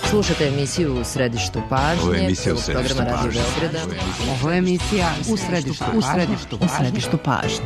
Slušate emisiju U središtu pažnje, programa Radio Beograda. Ovo je emisija U središtu pažnje.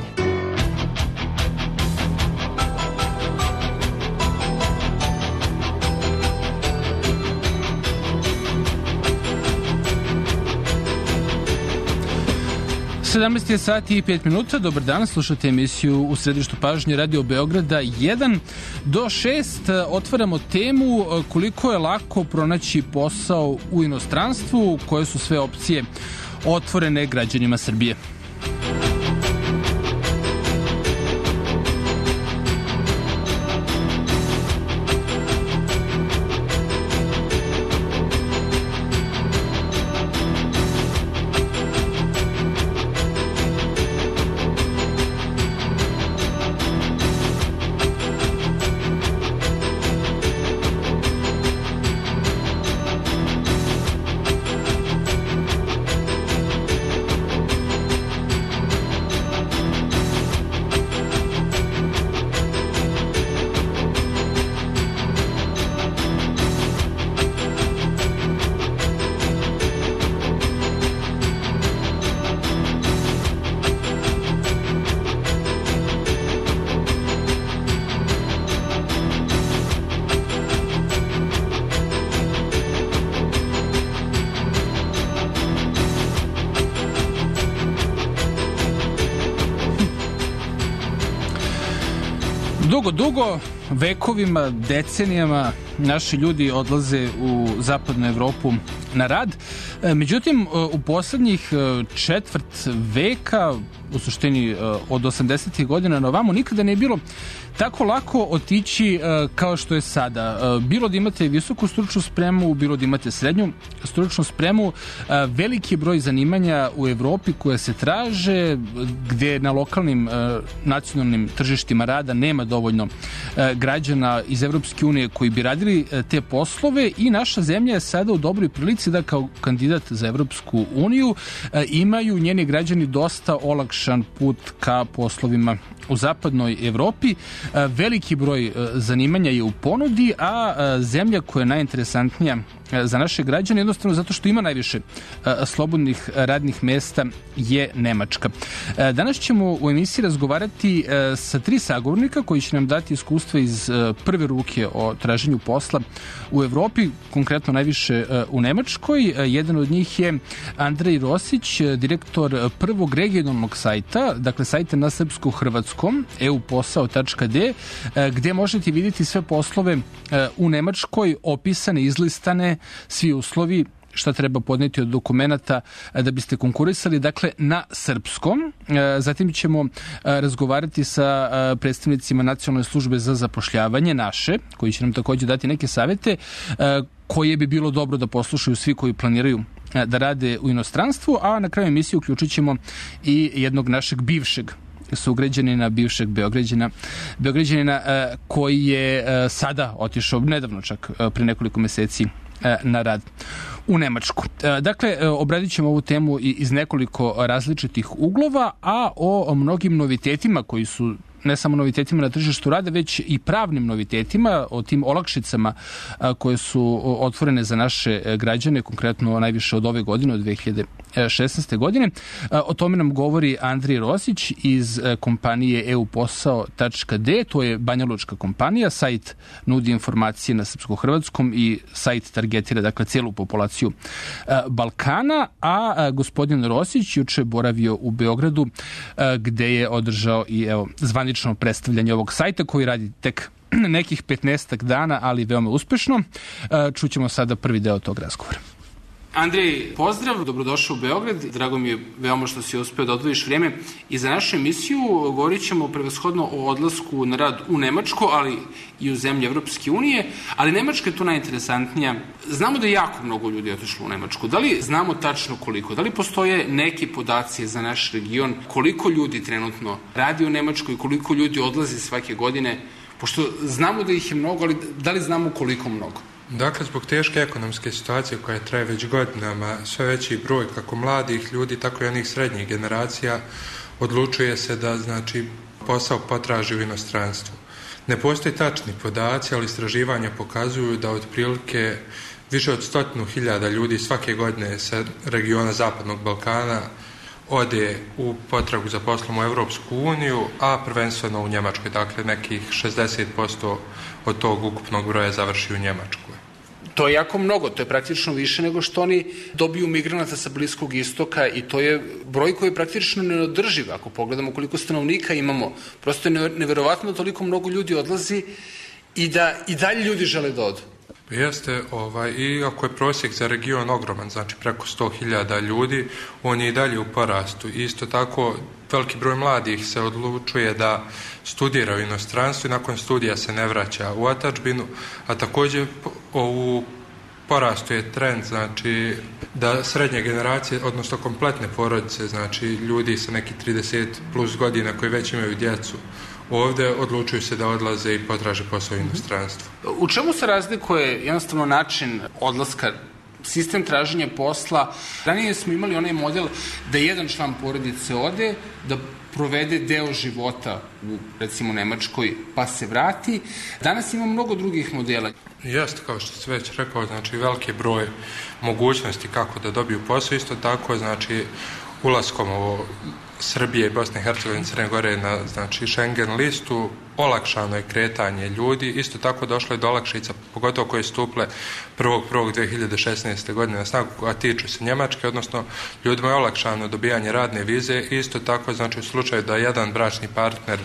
Sedamnaest je sati i 5 minuta. Dobar dan, slušate emisiju U središtu pažnje Radio Beograda 1 do 6. Otvaramo temu koliko je lako pronaći posao u inostranstvu, koje su sve opcije otvorene građanima Srbije. Dugo, vekovima, decenijama naši ljudi odlaze u zapadnu Evropu na rad. Međutim, u poslednjih četvrt veka, u suštini od 80. godina na ovamo, nikada nije bilo tako lako otići kao što je sada. Bilo da imate visoku stručnu spremu, bilo da imate srednju stručnu spremu, veliki broj zanimanja u Evropi koje se traže, gde na lokalnim nacionalnim tržištima rada nema dovoljno građana iz Evropske unije koji bi radili te poslove i naša zemlja je sada u dobroj prilici da kao kandidat za Evropsku uniju imaju njeni građani dosta olakšan put ka poslovima u zapadnoj Evropi. Veliki broj zanimanja je u ponudi, a zemlja koja je najinteresantnija za naše građane, jednostavno zato što ima najviše slobodnih radnih mesta, je Nemačka. Danas ćemo u emisiji razgovarati sa 3 sagovornika koji će nam dati iskustva iz prve ruke o traženju posla u Evropi, konkretno najviše u Nemačkoj. Jedan od njih je Andrej Rosić, direktor prvog regionalnog sajta, dakle sajta na srpsko-hrvatskom, euposao.d, gde možete vidjeti sve poslove u Nemačkoj, opisane, izlistane, svi uslovi, šta treba podneti od dokumenta da biste konkurisali, dakle, na srpskom. Zatim ćemo razgovarati sa predstavnicima Nacionalne službe za zapošljavanje, naše, koji će nam također dati neke savete koje bi bilo dobro da poslušaju svi koji planiraju da rade u inostranstvu, a na kraju emisije uključit ćemo i jednog našeg bivšeg sugrađanina, bivšeg Beograđanina koji je sada otišao, nedavno čak, pre nekoliko meseci na rad u Nemačku. Dakle, obradit ćemo ovu temu iz nekoliko različitih uglova, a o mnogim novitetima koji su ne samo novitetima na tržištu rada, već i pravnim novitetima, o tim olakšicama koje su otvorene za naše građane, konkretno najviše od ove godine, od 2016. godine. O tome nam govori Andrej Rosić iz kompanije euposao.d, to je banjalučka kompanija, sajt nudi informacije na srpsko-hrvatskom i sajt targetira, dakle, cijelu populaciju Balkana, a gospodin Rosić juče boravio u Beogradu, gde je održao i zvanično predstavljanje ovog sajta koji radi tek nekih 15 dana, ali veoma uspešno. Čućemo sada prvi deo tog razgovora. Andrej, pozdrav, dobrodošao u Beograd. Drago mi je veoma što si uspeo da odvojiš vrijeme i za našu emisiju. Govorit ćemo prevashodno o odlasku na rad u Nemačku, ali i u zemlje Evropske unije, ali Nemačka je tu najinteresantnija. Znamo da je jako mnogo ljudi otišlo u Nemačku. Da li znamo tačno koliko? Da li postoje neki podaci za naš region? Koliko ljudi trenutno radi u Nemačkoj? Koliko ljudi odlazi svake godine? Pošto znamo da ih je mnogo, ali da li znamo koliko mnogo? Dakle, zbog teške ekonomske situacije koja traje već godinama, sve veći broj kako mladih ljudi, tako i onih srednjih generacija odlučuje se da, posao potraži u inostranstvu. Ne postoji tačni podaci, ali istraživanja pokazuju da otprilike Više od 100.000 ljudi svake godine sa regiona Zapadnog Balkana ode u potragu za poslom u Evropsku uniju, a prvenstveno u Njemačkoj. Dakle, nekih 60% od tog ukupnog broja završi u Njemačkoj. To je jako mnogo, to je praktično više nego što oni dobiju migranata sa Bliskog istoka i to je broj koji je praktično neodrživ. Ako pogledamo koliko stanovnika imamo, prosto je neverovatno da toliko mnogo ljudi odlazi i da i dalje ljudi žele da odu. Jeste, i ako je prosjek za region ogroman, znači preko 100.000 ljudi, on je i dalje u porastu. Isto tako, veliki broj mladih se odlučuje da studira u inostranstvu i nakon studija se ne vraća u otadžbinu, a također u porastu je trend, znači da srednje generacije, odnosno kompletne porodice, znači ljudi sa nekih 30 plus godina koji već imaju djecu, ovdje odlučuju se da odlaze i potraže posao u inostranstvu. U čemu se razlikuje jednostavno način odlaska, sistem traženja posla? Ranije smo imali onaj model da jedan član porodice ode, da provede deo života u, recimo, Nemačkoj, pa se vrati. Danas ima mnogo drugih modela. Jeste, kao što se već rekao, znači veliki broj mogućnosti kako da dobiju posao, isto tako, znači ulaskom Srbije i Bosne i Hercegovine, Crne Gore na, znači, Schengen listu, olakšano je kretanje ljudi, isto tako došlo je do olakšica, pogotovo koje stupile 1.1.2016. godine na snagu, a tiču se Njemačke, odnosno ljudima je olakšano dobijanje radne vize, isto tako, znači, u slučaju da jedan bračni partner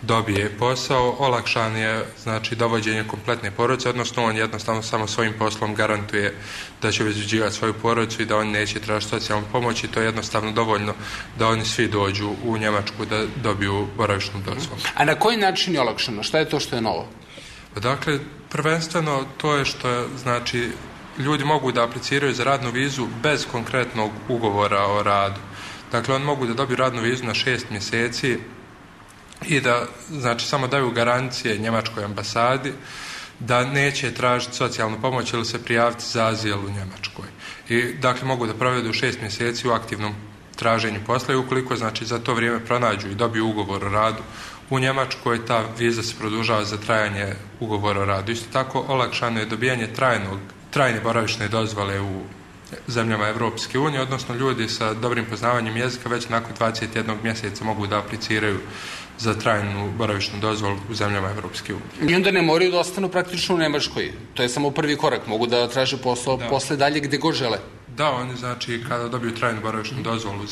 dobije posao, olakšan je, znači, dovođenje kompletne porodice, odnosno on jednostavno samo svojim poslom garantuje da će obezbeđivati svoju porodicu i da oni neće tražiti socijalnu pomoć i to je jednostavno dovoljno da oni svi dođu u Njemačku da dobiju boravišnu dozvolu. A na koji način je olakšano? Šta je to što je novo? Dakle, prvenstveno to je što, znači, ljudi mogu da apliciraju za radnu vizu bez konkretnog ugovora o radu. Dakle, oni mogu da dobiju radnu vizu na 6 mjeseci i da, znači, samo daju garancije njemačkoj ambasadi da neće tražiti socijalnu pomoć ili se prijaviti za azil u Njemačkoj. I, dakle, mogu da provedu 6 mjeseci u aktivnom traženju posla i ukoliko, znači, za to vrijeme pronađu i dobiju ugovor o radu u Njemačkoj, ta viza se produžava za trajanje ugovora o radu. Isto tako, olakšano je dobijanje trajne boravišne dozvole u zemljama Evropske unije, odnosno ljudi sa dobrim poznavanjem jezika već nakon 21 mjeseca mogu da apliciraju za trajnu boravišnu dozvolu u zemljama Evropske unije. I onda ne moraju da ostanu praktično u Nemačkoj. To je samo prvi korak. Mogu da traže posao posle dalje gde god žele. Da, oni, znači, kada dobiju trajnu boravišnu dozvolu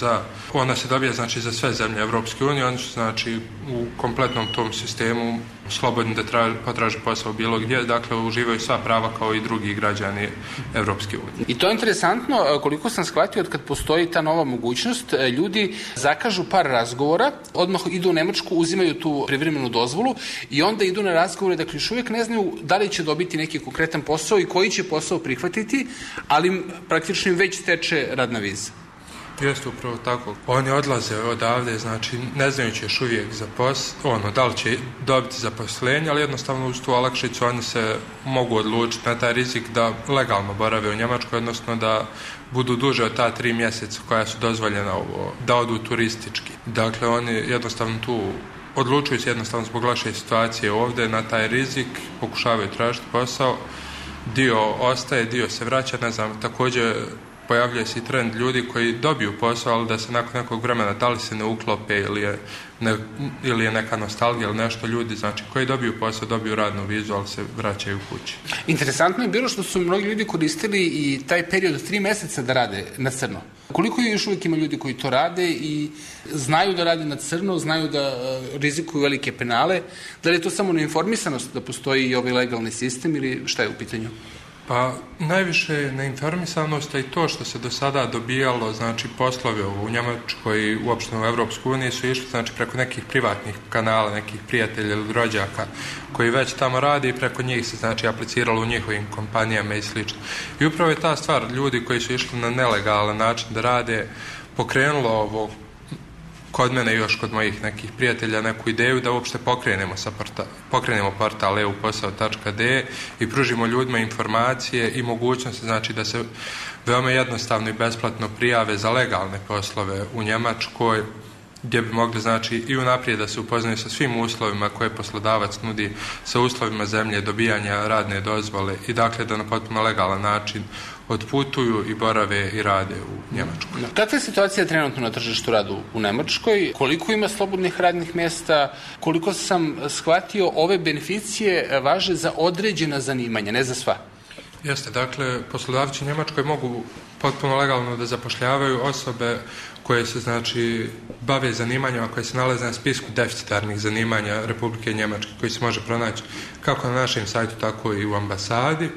ona se dobija, znači, za sve zemlje Evropske unije, oni su, znači, u kompletnom tom sistemu slobodni da potraže posao bilo gdje, dakle, uživaju sva prava kao i drugi građani Evropske unije. I to je interesantno, koliko sam shvatio, od kad postoji ta nova mogućnost, ljudi zakažu par razgovora, odmah idu u Nemačku, uzimaju tu privremenu dozvolu i onda idu na razgovore, dakle, još uvijek ne znaju da li će dobiti neki konkretan posao i koji će posao prihvatiti, ali praktično im već teče radna viza. Jeste upravo tako. Oni odlaze odavde, znači, ne znajući još uvijek da li će dobiti zaposlenje, ali jednostavno uz tu olakšicu oni se mogu odlučiti na taj rizik da legalno borave u Njemačkoj, odnosno da budu duže od ta 3 mjeseca koja su dozvoljena da odu turistički. Dakle, oni jednostavno tu odlučuju se jednostavno zbog loše situacije ovdje na taj rizik, pokušavaju tražiti posao, dio ostaje, dio se vraća, ne znam, također pojavljuje se i trend ljudi koji dobiju posao, ali da se nakon nekog vremena da li se ne uklope ili je neka nostalgija ili nešto, ljudi, znači, koji dobiju posao, dobiju radnu vizu, ali se vraćaju kući. Interesantno je bilo što su mnogi ljudi koristili i taj period od 3 mjeseca da rade na crno. Koliko je još uvijek ima ljudi koji to rade i znaju da rade na crno, znaju da rizikuju velike penale? Da li je to samo neinformisanost da postoji i ovaj legalni sistem ili šta je u pitanju? Pa najviše je neinformisanost, a i to što se do sada dobijalo, znači, poslovi u Njemačkoj i uopšte u Evropsku uniju su išli, znači, preko nekih privatnih kanala, nekih prijatelja ili rođaka koji već tamo rade i preko njih se, znači, apliciralo u njihovim kompanijama i slično. I upravo je ta stvar, ljudi koji su išli na nelegalan način da rade, pokrenulo ovo kod mene i još kod mojih nekih prijatelja neku ideju da uopšte pokrenemo portal euposao.de i pružimo ljudima informacije i mogućnosti, znači, da se veoma jednostavno i besplatno prijave za legalne poslove u Njemačkoj gdje bi mogli znači i unaprijed da se upoznaju sa svim uslovima koje poslodavac nudi, sa uslovima zemlje, dobijanja radne dozvole i dakle da na potpuno legalan način otputuju i borave i rade u Njemačkoj. Kakva je situacija trenutno na tržištu rada u Nemačkoj? Koliko ima slobodnih radnih mjesta? Koliko sam shvatio, ove beneficije važe za određena zanimanja, ne za sva? Jeste, dakle, poslodavci u Njemačkoj mogu potpuno legalno da zapošljavaju osobe koje se, znači, bave zanimanjima koje se nalaze na spisku deficitarnih zanimanja Republike Njemačke, koji se može pronaći kako na našem sajtu, tako i u ambasadi.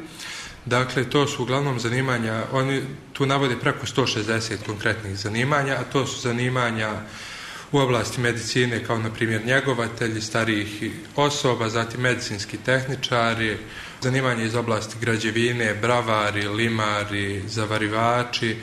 Dakle, to su uglavnom zanimanja, oni tu navode preko 160 konkretnih zanimanja, a to su zanimanja u oblasti medicine, kao na primjer njegovatelji starijih osoba, zatim medicinski tehničari, zanimanje iz oblasti građevine, bravari, limari, zavarivači.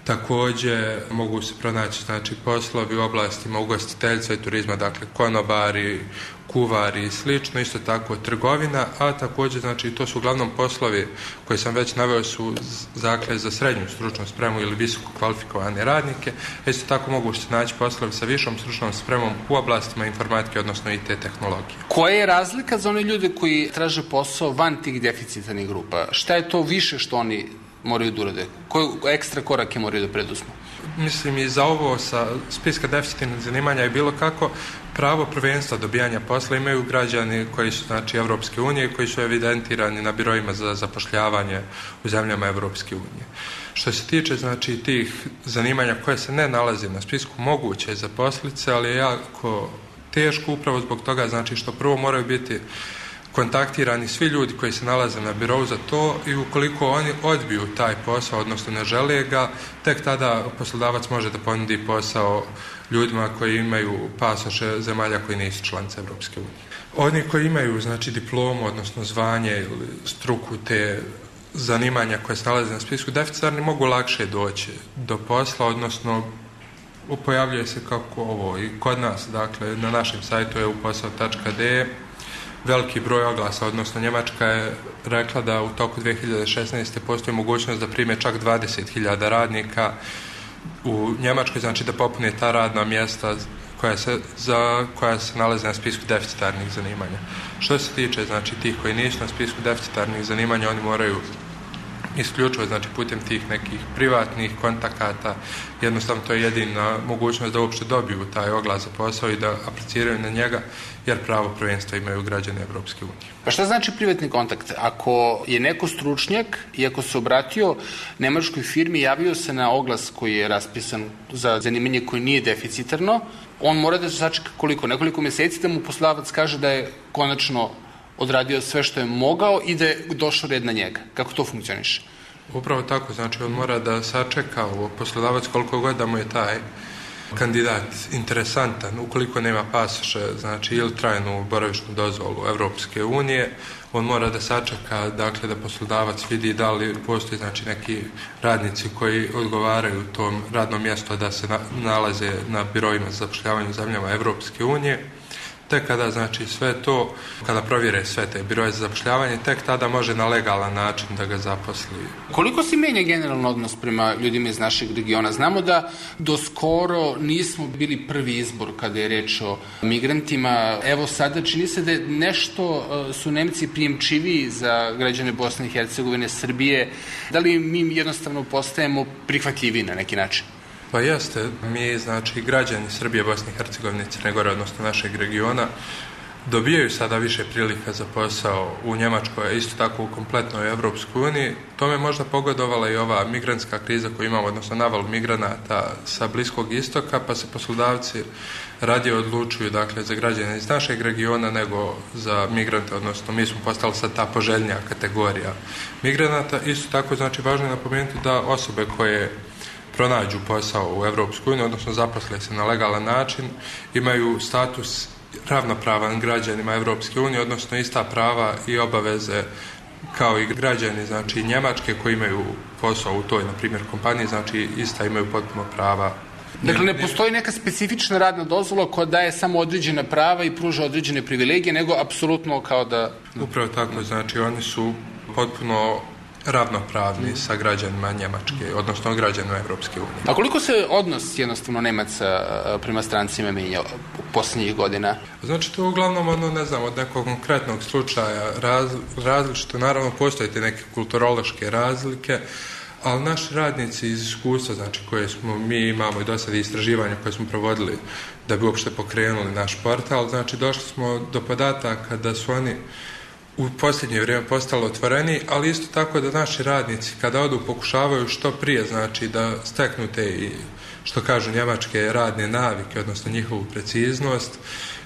Također mogu se pronaći znači poslovi u oblastima ugostiteljstva i turizma, dakle konobari, kuvari i slično, isto tako trgovina, a također znači to su uglavnom poslovi koje sam već naveo su dakle za srednju stručnu spremu ili visoko kvalifikovane radnike. Isto tako mogu se naći poslovi sa višom stručnom spremom u oblastima informatike, odnosno IT tehnologije. Koja je razlika za one ljude koji traže posao van tih deficitarnih grupa? Šta je to više što oni moraju da urade? Koje ekstra korake moraju da preduzmu? Mislim i za ovo sa spiska deficitarnih zanimanja je bilo kako pravo prvenstva dobijanja posla imaju građani koji su znači Evropske unije, koji su evidentirani na biroima za zapošljavanje u zemljama Evropske unije. Što se tiče znači tih zanimanja koje se ne nalaze na spisku, moguće je zaposliti se, ali je jako teško upravo zbog toga znači što prvo moraju biti kontaktirani svi ljudi koji se nalaze na birou za to i ukoliko oni odbiju taj posao, odnosno ne žele ga, tek tada poslodavac može da ponudi posao ljudima koji imaju pasoše zemalja koji nisu članice Evropske unije. Oni koji imaju znači diplomu, odnosno zvanje ili struku te zanimanja koje se nalaze na spisku deficitarni mogu lakše doći do posla, odnosno pojavljuje se kako ovo i kod nas, dakle na našem sajtu je uposao.de veliki broj oglasa, odnosno Njemačka je rekla da u toku 2016. postoji mogućnost da prime čak 20.000 radnika u Njemačkoj, znači da popune ta radna mjesta koja se nalaze na spisku deficitarnih zanimanja. Što se tiče znači tih koji nisu na spisku deficitarnih zanimanja, oni moraju isključivo znači putem tih nekih privatnih kontakata, jednostavno to je jedina mogućnost da uopšte dobiju taj oglas za posao i da apliciraju na njega, jer pravo prvenstva imaju građani Evropske unije. Pa šta znači privatni kontakt? Ako je neko stručnjak i ako se obratio nemačkoj firmi, javio se na oglas koji je raspisan za zanimanje koje nije deficitarno, on mora da se sačeka koliko? Nekoliko mjeseci da mu poslodavac kaže da je konačno odradio sve što je mogao i da je došao red na njega. Kako to funkcioniše? Upravo tako, znači on mora da sačeka poslodavac koliko god da mu je taj kandidat interesantan, ukoliko nema pasoše, znači ili trajnu boravišnu dozvolu Evropske unije, on mora da sačeka, dakle, da poslodavac vidi da li postoji znači neki radnici koji odgovaraju tom radnom mjestu da se nalaze na biroima za zapošljavanje u zemljama Evropske unije. Tek kada znači sve to, kada provjere sve te biroje za zapošljavanje, tek tada može na legalan način da ga zaposli. Koliko se menja generalno odnos prema ljudima iz našeg regiona? Znamo da do skoro nismo bili prvi izbor kada je reč o migrantima. Evo sada čini se da nešto su Nemci prijemčiviji za građane Bosne i Hercegovine, Srbije. Da li mi jednostavno postajemo prihvatljiviji na neki način? Pa jeste, mi znači građani Srbije, Bosne i Hercegovine, Crne Gore, odnosno našeg regiona, dobijaju sada više prilika za posao u Njemačkoj, a isto tako u kompletnoj Evropskoj uniji. Tome je možda pogodovala i ova migrantska kriza koju imamo, odnosno naval migranata sa Bliskog istoka, pa se poslodavci radije odlučuju dakle, za građane iz našeg regiona nego za migrante, odnosno mi smo postali sad ta poželjnija kategorija migranata. Isto tako znači važno je napomenuti da osobe koje pronađu posao u Evropskoj uniji, odnosno zaposle se na legalan način, imaju status ravnopravan građanima Evropske unije, odnosno ista prava i obaveze kao i građani znači Njemačke koji imaju posao u toj, na primjer, kompaniji, znači ista imaju potpuno prava. Dakle, ne postoji neka specifična radna dozvola koja daje samo određena prava i pruža određene privilegije, nego apsolutno kao da... Upravo tako, znači oni su potpuno ravnopravni sa građanima Njemačke, odnosno građanima Evropske unije. A koliko se odnos jednostavno Nemaca prema strancima menjao u posljednjih godina? Znači, to uglavnom od nekog konkretnog slučaja različito. Naravno, postoje neke kulturološke razlike, ali naši radnici iz iskustva, znači koje mi imamo i do sada istraživanja koje smo provodili da bi uopšte pokrenuli naš portal, znači došli smo do podataka da su oni u posljednje vrijeme postali otvoreni, ali isto tako da naši radnici kada odu pokušavaju što prije, znači da steknu te i što kažu njemačke radne navike, odnosno njihovu preciznost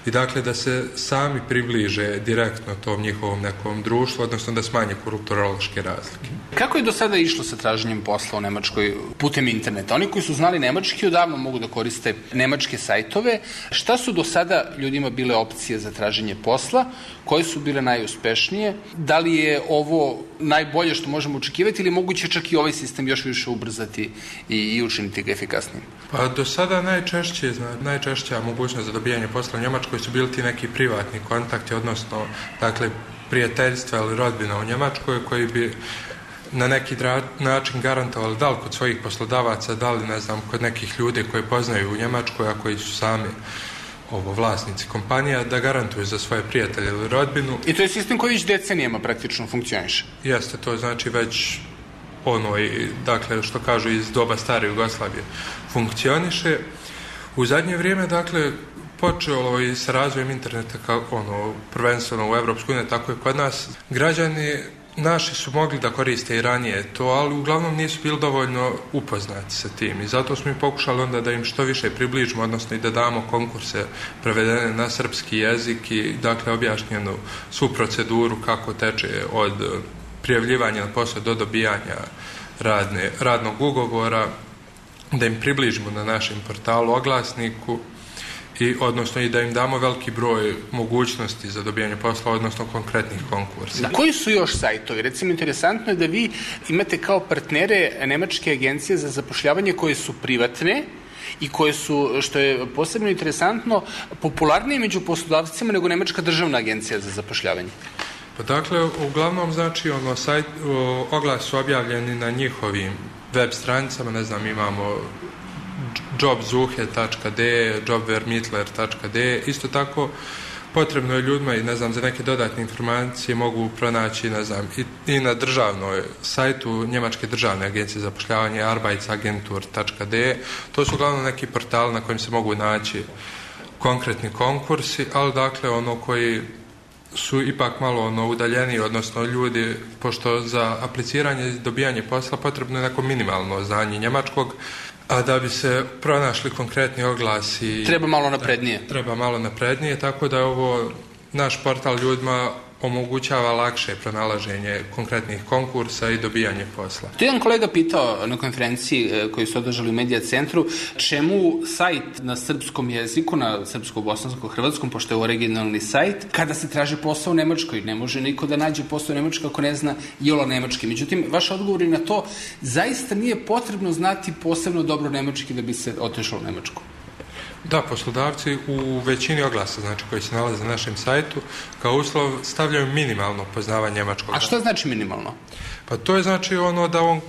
i dakle da se sami približe direktno tom njihovom nekom društvu, odnosno da smanje kulturološke razlike. Kako je do sada išlo sa traženjem posla u Nemačkoj putem interneta? Oni koji su znali nemački odavno mogu da koriste nemačke sajtove. Šta su do sada ljudima bile opcije za traženje posla? Koje su bile najuspešnije? Da li je ovo najbolje što možemo očekivati ili moguće čak i ovaj sistem još više ubrzati i učiniti ga efikasnijim? Pa do sada najčešća mogućnost za dobijanje posla u Njemačkoj su bili ti neki privatni kontakti, odnosno dakle prijateljstva ili rodbina u Njemačkoj koji bi na neki način garantovali da li kod svojih poslodavaca, da li kod nekih ljudi koji poznaju u Njemačkoj, a koji su sami vlasnici kompanija, da garantuju za svoje prijatelje ili rodbinu. I to je sistem koji već decenijama praktično funkcioniše. Jeste, to znači već dakle, što kažu iz doba stare Jugoslavije funkcioniše. U zadnje vrijeme, dakle, počelo i sa razvojem interneta prvenstveno u Evropskoj uniji, tako je kod nas. Građani naši su mogli da koriste i ranije to, ali uglavnom nisu bili dovoljno upoznati sa tim i zato smo i pokušali onda da im što više približimo, odnosno i da damo konkurse prevedene na srpski jezik i dakle objašnjenu svu proceduru kako teče od prijavljivanja na posao do dobijanja radnog ugovora, da im približimo na našem portalu oglasniku odnosno i da im damo veliki broj mogućnosti za dobijanje posla, odnosno konkretnih konkursa. Na koji su još sajtovi? Recimo, interesantno je da vi imate kao partnere nemačke agencije za zapošljavanje koje su privatne i koje su, što je posebno interesantno, popularnije među poslodavcima nego Nemačka državna agencija za zapošljavanje. Pa dakle, uglavnom, znači, oglas su objavljeni na njihovim web stranicama, imamo jobsuche.de, jobvermittler.de. Isto tako, potrebno je ljudima i za neke dodatne informacije mogu pronaći i na državnoj sajtu Njemačke državne agencije za zapošljavanje arbeitsagentur.de. To su uglavnom neki portali na kojim se mogu naći konkretni konkursi, ali dakle koji su ipak malo udaljeniji, odnosno ljudi, pošto za apliciranje i dobijanje posla potrebno je neko minimalno znanje njemačkog, a da bi se pronašli konkretni oglasi... Treba malo naprednije. Treba malo naprednije, tako da je ovo naš portal ljudima omogućava lakše pronalaženje konkretnih konkursa i dobijanje posla. To je jedan kolega pitao na konferenciji koju su održali u Medija centru, čemu sajt na srpskom jeziku, na srpsko-bosansko-hrvatskom, pošto je originalni sajt, kada se traži posao u Nemačkoj. Ne može niko da nađe posao u Nemačkoj ako ne zna iole nemački. Međutim, vaš odgovor je na to, zaista nije potrebno znati posebno dobro nemački da bi se otišlo u Nemačku. Da, poslodavci u većini oglasa, znači koji se nalaze na našem sajtu, kao uslov stavljaju minimalno poznavanje njemačkog. A što znači minimalno? Pa to je znači da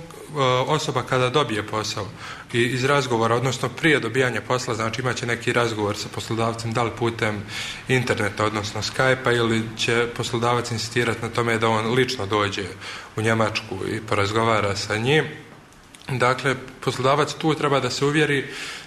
osoba kada dobije posao i iz razgovora, odnosno prije dobijanja posla, znači imaće neki razgovor sa poslodavcem, da li putem interneta, odnosno Skype-a, ili će poslodavac insistirati na tome da on lično dođe u Njemačku i porazgovara sa njim. Dakle, poslodavac tu treba da se uvjeri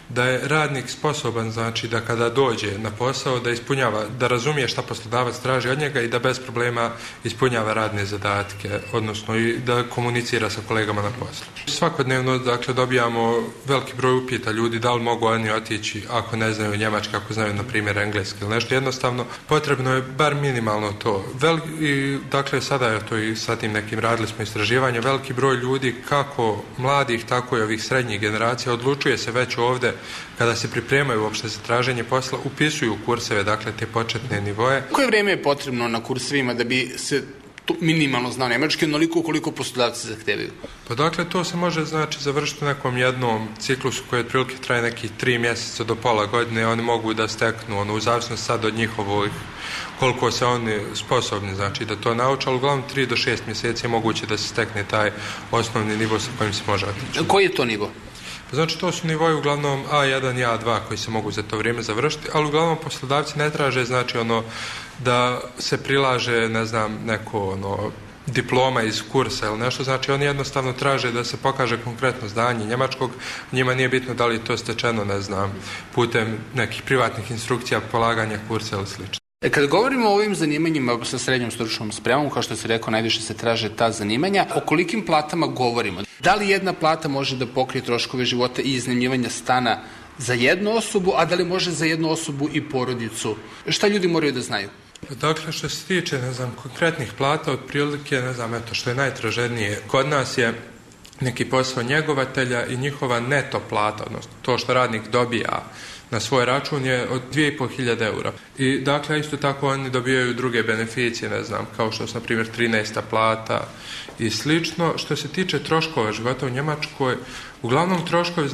da je radnik sposoban, znači da kada dođe na posao da ispunjava, da razumije šta poslodavac traži od njega i da bez problema ispunjava radne zadatke, odnosno i da komunicira sa kolegama na poslu. Svakodnevno, dakle, dobijamo veliki broj upita ljudi da li mogu oni otići ako ne znaju njemački, ako znaju, na primjer, engleski ili nešto. Jednostavno, potrebno je bar minimalno to. Dakle, sada je to i sa tim nekim radili smo istraživanje, veliki broj ljudi, kako mladih, tako i ovih srednjih generacija, odlučuje se već ovdje kada se pripremaju uopšte za traženje posla, upisuju kurseve, dakle te početne nivoe. Koje vrijeme je potrebno na kursevima da bi se minimalno znao nemački, onoliko koliko poslodavci zahtevaju? Pa dakle, to se može završiti u nekom jednom ciklusu koji otprilike traje nekih 3 mjeseca do pola godine. Oni mogu da steknu, u zavisnosti sad od njihovih, koliko se oni sposobni, da to nauče, ali uglavnom 3 do 6 mjeseci je moguće da se stekne taj osnovni nivo sa kojim se može otići. Koji je to nivo? Znači, to su nivoji uglavnom A1 i A2 koji se mogu za to vrijeme završiti, ali uglavnom poslodavci ne traže, da se prilaže, neko diploma iz kursa ili nešto, znači oni jednostavno traže da se pokaže konkretno znanje njemačkog, njima nije bitno da li je to stečeno, putem nekih privatnih instrukcija, polaganja kursa ili slično. Kad govorimo o ovim zanimanjima sa srednjom stručnom spremom, kao što si rekao, najviše se traže ta zanimanja, o kolikim platama govorimo? Da li jedna plata može da pokrije troškove života i iznajmljivanja stana za jednu osobu, a da li može za jednu osobu i porodicu? Šta ljudi moraju da znaju? Dakle, što se tiče, konkretnih plata, otprilike, što je najtraženije, kod nas je neki posao njegovatelja i njihova neto plata, odnosno to što radnik dobija na svoj račun je od 2.500 eura. I dakle, isto tako oni dobijaju druge beneficije, kao što su, na primjer, 13. plata i slično. Što se tiče troškova života u Njemačkoj, uglavnom troškovi,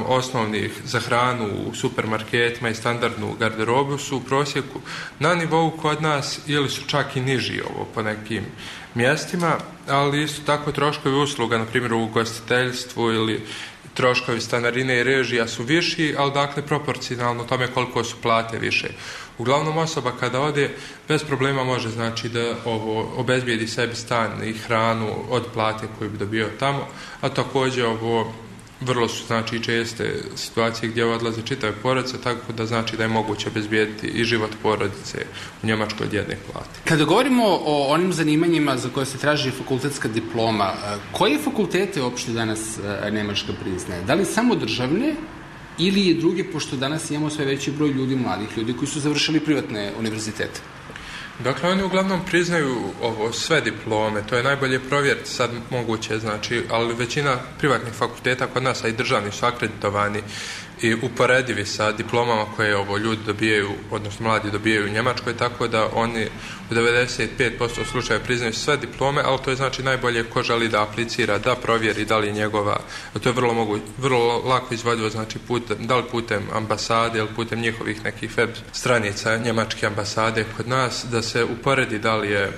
osnovnih za hranu u supermarketima i standardnu garderobu su u prosjeku na nivou kod nas ili su čak i niži po nekim mjestima, ali isto tako troškovi usluga, na primjer u ugostiteljstvu ili troškovi stanarine i režija su viši, ali dakle proporcionalno tome koliko su plate više. Uglavnom osoba kada ode bez problema može da obezbijedi sebi stan i hranu od plate koju bi dobio tamo, a također vrlo su česte situacije gdje odlaze čitave porodice, tako da da je moguće obezbijediti i život porodice u Njemačkoj od jedne plate. Kada govorimo o onim zanimanjima za koje se traži fakultetska diploma, koje fakultete uopšte danas Nemačka priznaje? Da li samo državne ili i druge, pošto danas imamo sve veći broj ljudi, mladih ljudi koji su završili privatne univerzitete? Dakle, oni uglavnom priznaju sve diplome, to je najbolje provjeriti sad moguće, ali većina privatnih fakulteta kod nas, a i državni su akreditovani i uporedivi sa diplomama koje ljudi dobijaju, odnosno mladi dobijaju u Njemačkoj, tako da oni u 95% slučaja priznaju sve diplome, ali to je najbolje ko želi da aplicira, da provjeri da li je njegova, to je vrlo lako izvodivo, da li putem ambasade ili putem njihovih nekih web stranica njemačke ambasade kod nas, da se uporedi da li je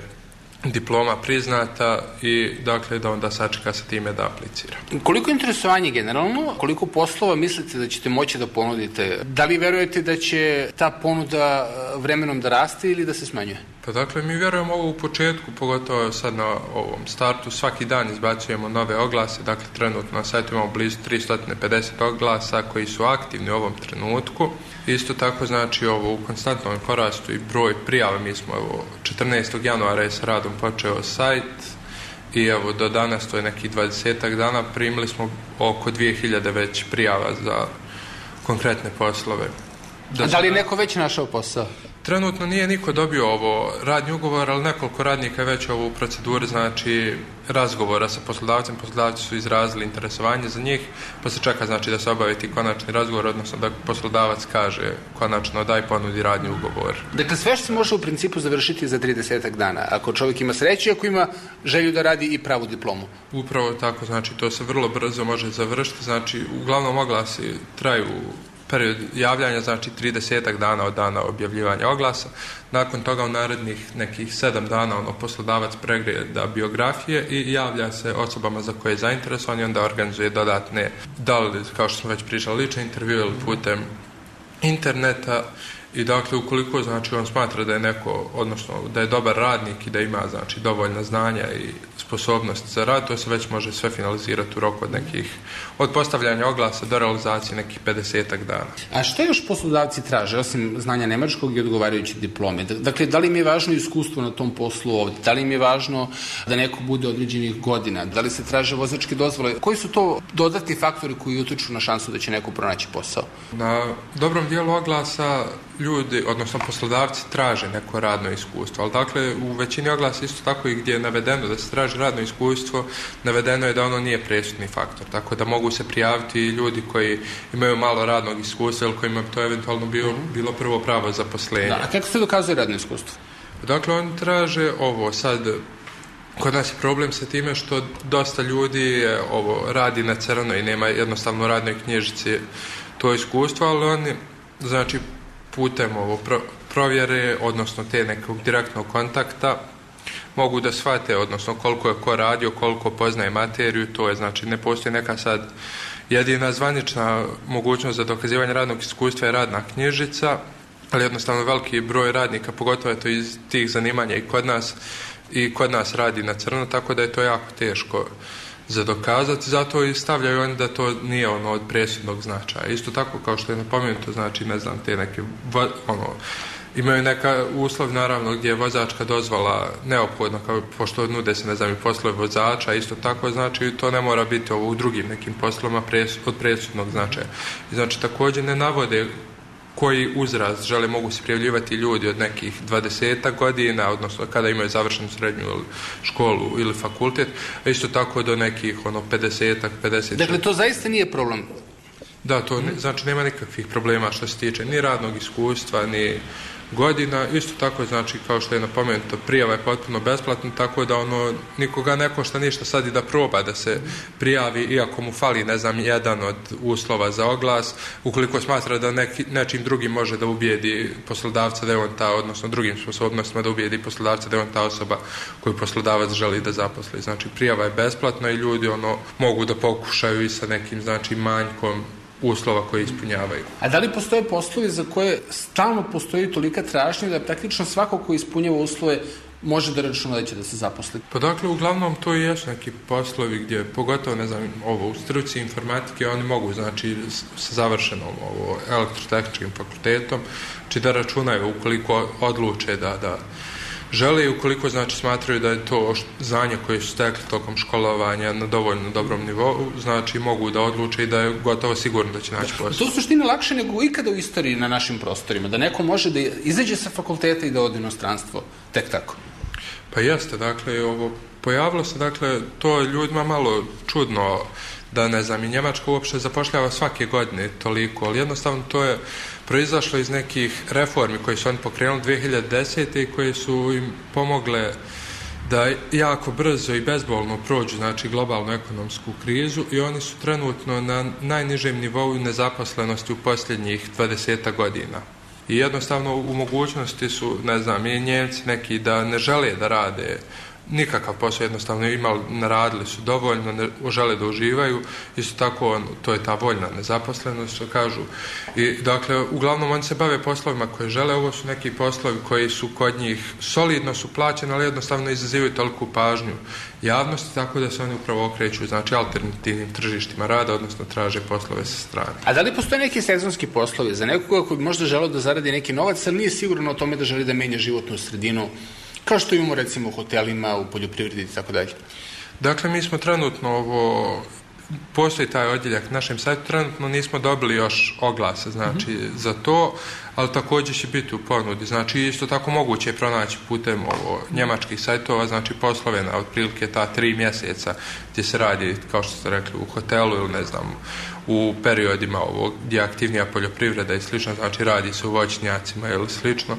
diploma priznata i dakle da onda sačeka sa time da aplicira. Koliko je interesovanje generalno, koliko poslova mislite da ćete moći da ponudite? Da li verujete da će ta ponuda vremenom da raste ili da se smanjuje? Pa dakle, mi vjerujemo ovo u početku, pogotovo sad na ovom startu, svaki dan izbacujemo nove oglase, dakle trenutno na sajtu imamo blizu 350 oglasa koji su aktivni u ovom trenutku. Isto tako u konstantnom porastu i broj prijava, mi smo 14. januara je s radom počeo sajt i do danas, to je nekih 20 dana, primili smo oko 2000 već prijava za konkretne poslove. Da li je neko već našao posao? Trenutno nije niko dobio radni ugovor, ali nekoliko radnika je već u proceduri, razgovora sa poslodavcem. Poslodavci su izrazili interesovanje za njih, pa se čeka da se obavi ti konačni razgovor, odnosno da poslodavac kaže konačno daj ponudi radni ugovor. Dakle, sve što se može u principu završiti za 30 dana, ako čovjek ima sreće, ako ima želju da radi i pravu diplomu. Upravo tako, to se vrlo brzo može završiti, uglavnom oglasi traju period javljanja, 30 dana od dana objavljivanja oglasa. Nakon toga u narednih nekih 7 dana poslodavac pregleda biografije i javlja se osobama za koje je zainteresovan i onda organizuje dodatne, da li, kao što smo već pričali, lične intervjue ili putem interneta. I dakle, ukoliko on smatra da je neko, odnosno da je dobar radnik i da ima dovoljna znanja i sposobnost za rad, to se već može sve finalizirati u roku od postavljanja oglasa do realizacije nekih 50 dana. A što još poslodavci traže, osim znanja nemačkog i odgovarajuće diplome? Dakle, da li im je važno iskustvo na tom poslu ovdje? Da li im je važno da neko bude određenih godina? Da li se traže vozačke dozvole? Koji su to dodatni faktori koji utiču na šansu da će neko pronaći posao? Na dobrom dijelu oglasa ljudi, odnosno poslodavci, traže neko radno iskustvo, ali dakle u većini oglasa isto tako i gdje je navedeno da se traži radno iskustvo, navedeno je da ono nije presudni faktor, tako da mogu se prijaviti ljudi koji imaju malo radnog iskustva ili kojima bi to eventualno bilo prvo pravo zaposlenje. Da, a kako se dokazuje radno iskustvo? Dakle, oni traže ovo sad. Kod nas je problem sa time što dosta ljudi radi na crno i nema jednostavno u radnoj knjižici to iskustvo, ali oni, znači, putem provjere, odnosno te nekog direktnog kontakta, mogu da shvate, odnosno koliko je ko radio, koliko poznaje materiju, to je, znači, ne postoji neka sad jedina zvanična mogućnost za dokazivanje radnog iskustva je radna knjižica, ali jednostavno veliki broj radnika, pogotovo je to iz tih zanimanja i kod nas radi na crno, tako da je to jako teško za dokazati, zato i stavljaju oni da to nije od presudnog značaja. Isto tako kao što je napomenuto, znači, ne znam, te neke imaju neka uslov, naravno, gdje je vozačka dozvola neophodna, pošto nude se, ne znam, i poslove vozača, isto tako, znači, to ne mora biti u drugim nekim poslovima od presudnog značaja. I, znači, također ne navode koji uzrast mogu se prijavljivati ljudi od nekih 20 godina, odnosno kada imaju završenu srednju školu ili fakultet, a isto tako do nekih 50. Dakle, to zaista nije problem? Da, to znači nema nikakvih problema što se tiče ni radnog iskustva, ni godina. Isto tako, znači, kao što je napomenuto, prijava je potpuno besplatna, tako da nikoga ne košta ništa sad i da proba da se prijavi, iako mu fali, ne znam, jedan od uslova za oglas, ukoliko smatra da nečim drugim može da ubijedi poslodavca da je on ta, odnosno drugim sposobnostima da ubijedi poslodavca da je on ta osoba koju poslodavac želi da zaposli. Znači, prijava je besplatna i ljudi mogu da pokušaju i sa nekim, znači, manjkom uslova koje ispunjavaju. A da li postoje poslovi za koje stalno postoji tolika tražnja da praktično svako ko ispunjava uslove može da računa da će da se zaposli? Pa dakle, uglavnom to i jesu neki poslovi gdje, pogotovo, ne znam, u struci informatike, oni mogu, znači, sa završenom elektrotehničkim fakultetom, znači da računaju ukoliko odluče da žele i ukoliko, znači, smatraju da je to znanje koje su stekli tokom školovanja na dovoljno dobrom nivou, znači mogu da odluče i da je gotovo sigurno da će naći posao. To u suštini lakše nego ikada u istoriji na našim prostorima, da neko može da izađe sa fakulteta i da ode u inostranstvo, tek tako. Pa jeste, dakle, pojavilo se, dakle, to ljudima malo čudno, da, ne znam, i Njemačka uopšte zapošljava svake godine toliko, ali jednostavno to je proizašlo iz nekih reformi koje su oni pokrenuli 2010. i koje su im pomogle da jako brzo i bezbolno prođu, znači, globalnu ekonomsku krizu, i oni su trenutno na najnižem nivou nezaposlenosti u posljednjih 20 godina. I jednostavno u mogućnosti su, ne znam, i Njemci neki da ne žele da rade nikakav posao, jednostavno naradili su dovoljno, ne žele da uživaju, isto tako to je ta voljna nezaposlenost, što kažu. I dakle, uglavnom oni se bave poslovima koje žele, ovo su neki poslovi koji su kod njih solidno su plaćeni, ali jednostavno izazivaju toliku pažnju javnosti, tako da se oni upravo okreću, znači, alternativnim tržištima rada, odnosno traže poslove sa strane. A da li postoje neki sezonski poslovi za nekoga koji možda žele da zaradi neki novac, ali nije sigurno o tome da želi da menja životnu sredinu, kao što imamo, recimo, u hotelima, u poljoprivredi i tako dalje? Dakle, mi smo trenutno postoji taj odjeljak na našem sajtu, trenutno nismo dobili još oglase, znači, za to, ali također će biti u ponudi. Znači, isto tako moguće je pronaći putem njemačkih sajtova, znači, poslove na otprilike ta 3 mjeseca gdje se radi, kao što ste rekli, u hotelu ili, ne znam, u periodima gdje je aktivnija poljoprivreda i slično, znači radi se u voćnjacima ili slično.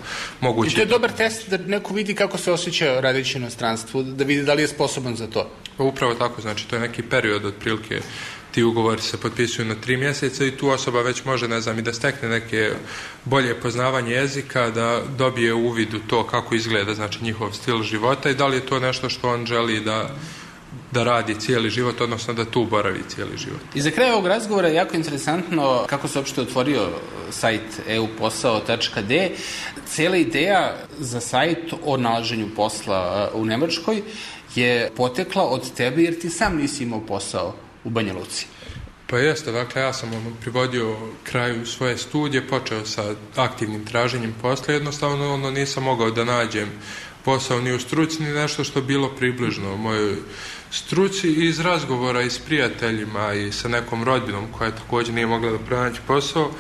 I to je dobar test da neko vidi kako se osjeća radeći u inostranstvu, da vidi da li je sposoban za to. Upravo tako, znači to je neki period otprilike, ti ugovori se potpisuju na 3 mjeseca i tu osoba već može, ne znam, i da stekne neke bolje poznavanje jezika, da dobije uvid u to kako izgleda, znači, njihov stil života i da li je to nešto što on želi da radi cijeli život, odnosno da tu boravi cijeli život. I za kraj ovog razgovora je jako interesantno kako se uopšte otvorio sajt euposao.d. Cijela ideja za sajt o nalaženju posla u Nemačkoj je potekla od tebe jer ti sam nisi imao posao u Banja Luci. Pa jeste, dakle, ja sam privodio kraju svoje studije, počeo sa aktivnim traženjem posla, jednostavno nisam mogao da nađem posao ni u struci, ni nešto što bilo približno mojoj struci, i iz razgovora i s prijateljima i sa nekom rodbinom koja također nije mogla da pronaći posao,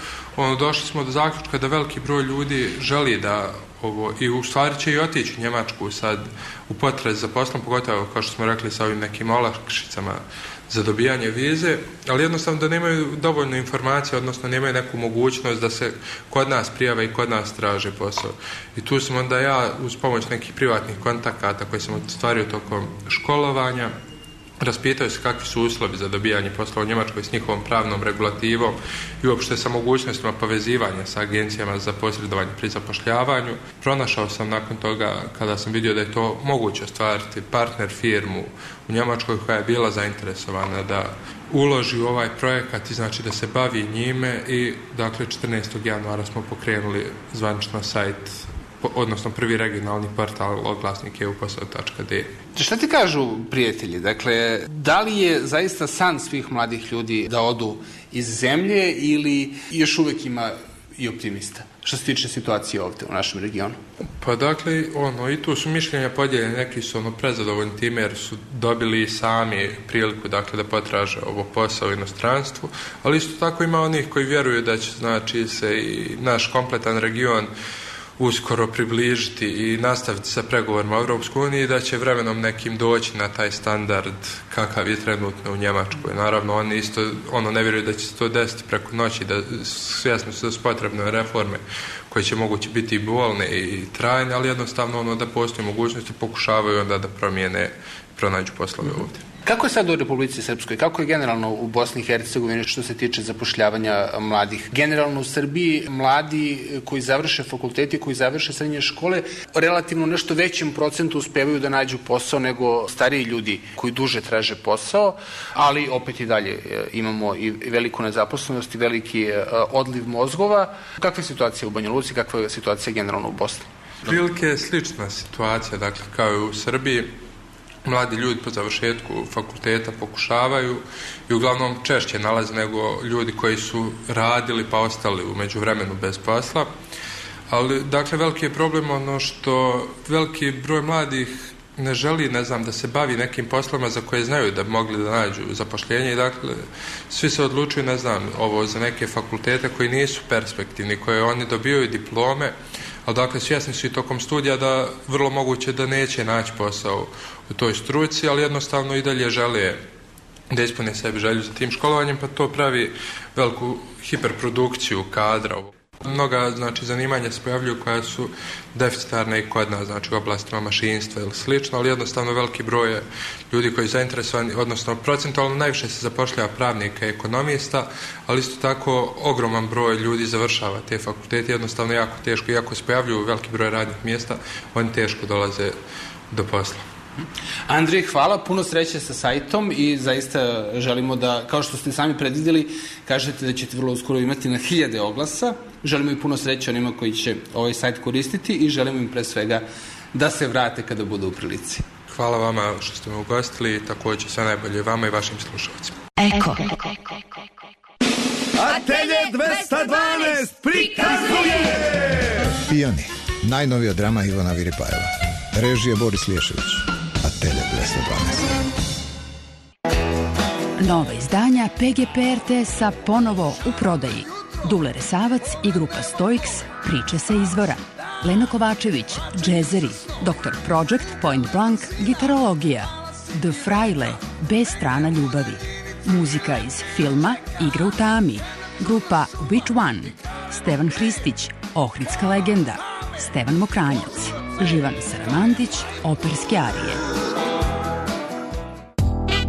došli smo do zaključka da veliki broj ljudi želi da ovo, i u stvari će i otići u Njemačku sad u potrazi za poslom, pogotovo kao što smo rekli sa ovim nekim olakšicama za dobijanje vize, ali jednostavno da nemaju dovoljno informacije, odnosno nemaju neku mogućnost da se kod nas prijave i kod nas traže posao. I tu sam onda ja uz pomoć nekih privatnih kontakata koje sam ostvario tokom školovanja raspitao se kakvi su uslovi za dobijanje posla u Njemačkoj s njihovom pravnom regulativom i uopšte sa mogućnostima povezivanja sa agencijama za posredovanje pri zapošljavanju. Pronašao sam nakon toga, kada sam vidio da je to moguće ostvariti, partner firmu u Njemačkoj koja je bila zainteresovana da uloži u ovaj projekat i znači da se bavi njime i dakle 14. januara smo pokrenuli zvanično sajt, odnosno prvi regionalni portal oglasnik euposao.de. Šta ti kažu prijatelji? Dakle, da li je zaista san svih mladih ljudi da odu iz zemlje ili još uvek ima i optimista što se tiče situacije ovde u našem regionu? Pa dakle, i tu su mišljenja podijeljene, neki su prezadovoljni time jer su dobili sami priliku dakle da potraže ovo posao u inostranstvu, ali isto tako ima onih koji vjeruju da će znači se i naš kompletan region uskoro približiti i nastaviti sa pregovorima u Europskoj uniji, da će vremenom nekim doći na taj standard kakav je trenutno u Njemačkoj. Naravno, oni isto ne vjeruju da će se to desiti preko noći, da svjesno su da su potrebne reforme koje će moguće biti i bolne i trajne, ali jednostavno da postoji mogućnosti, pokušavaju onda da promijene, pronađu poslove ovdje. Kako je sad u Republici Srpskoj? Kako je generalno u Bosni i Hercegovini što se tiče zapošljavanja mladih? Generalno u Srbiji mladi koji završe fakulteti, koji završe srednje škole, relativno nešto većem procentu uspevaju da nađu posao nego stariji ljudi koji duže traže posao, ali opet i dalje imamo i veliku nezaposlenost i veliki odliv mozgova. Kakva je situacija u Banja Luci? Kakva je situacija generalno u Bosni? Prilike je slična situacija, dakle, kao i u Srbiji. Mladi ljudi po završetku fakulteta pokušavaju i uglavnom češće nalaze nego ljudi koji su radili pa ostali u međuvremenu bez posla. Ali, dakle, veliki je problem što veliki broj mladih ne želi, da se bavi nekim poslovima za koje znaju da bi mogli da nađu zapošljenje i dakle, svi se odlučuju, za neke fakultete koji nisu perspektivni, koje oni dobijaju diplome, ali dakle svjesni su i tokom studija da vrlo moguće da neće naći posao u toj struci, ali jednostavno i dalje žele da ispune sebi želju za tim školovanjem, pa to pravi veliku hiperprodukciju kadra. Mnoga zanimanja se pojavljuju koja su deficitarne i kod nas, u oblastima mašinstva ili slično, ali jednostavno veliki broj je ljudi koji su zainteresovani, odnosno procentualno najviše se zapošljava pravnika i ekonomista, ali isto tako ogroman broj ljudi završava te fakultete, jednostavno jako teško, iako se pojavljuju veliki broj radnih mjesta, oni teško dolaze do posla. Andrej, hvala, puno sreće sa sajtom i zaista želimo da, kao što ste sami predvidjeli, kažete da ćete vrlo uskoro imati na 1000 oglasa. Želimo i puno sreće onima koji će ovaj sajt koristiti i želimo im pre svega da se vrate kada bude u prilici. Hvala vama što ste me ugostili i također sve najbolje vama i vašim slušalcima. Eko. Atelje 212 prikazuje Pijani, najnovija drama Ivana Viripajeva. Režije Boris Lješević. Atelje 212. Nova izdanja PGP RTS-a ponovo u prodaji. Dule Resavac i grupa Stoiks, priče sa izvora. Lena Kovačević, džezeri. Dr. Project, Point Blank, gitarologija. The Fraile, bez strana ljubavi. Muzika iz filma Igra u tami. Grupa Which One. Stevan Hristić, Ohridska legenda. Stevan Mokranjac. Živan Saramandić, operske arije.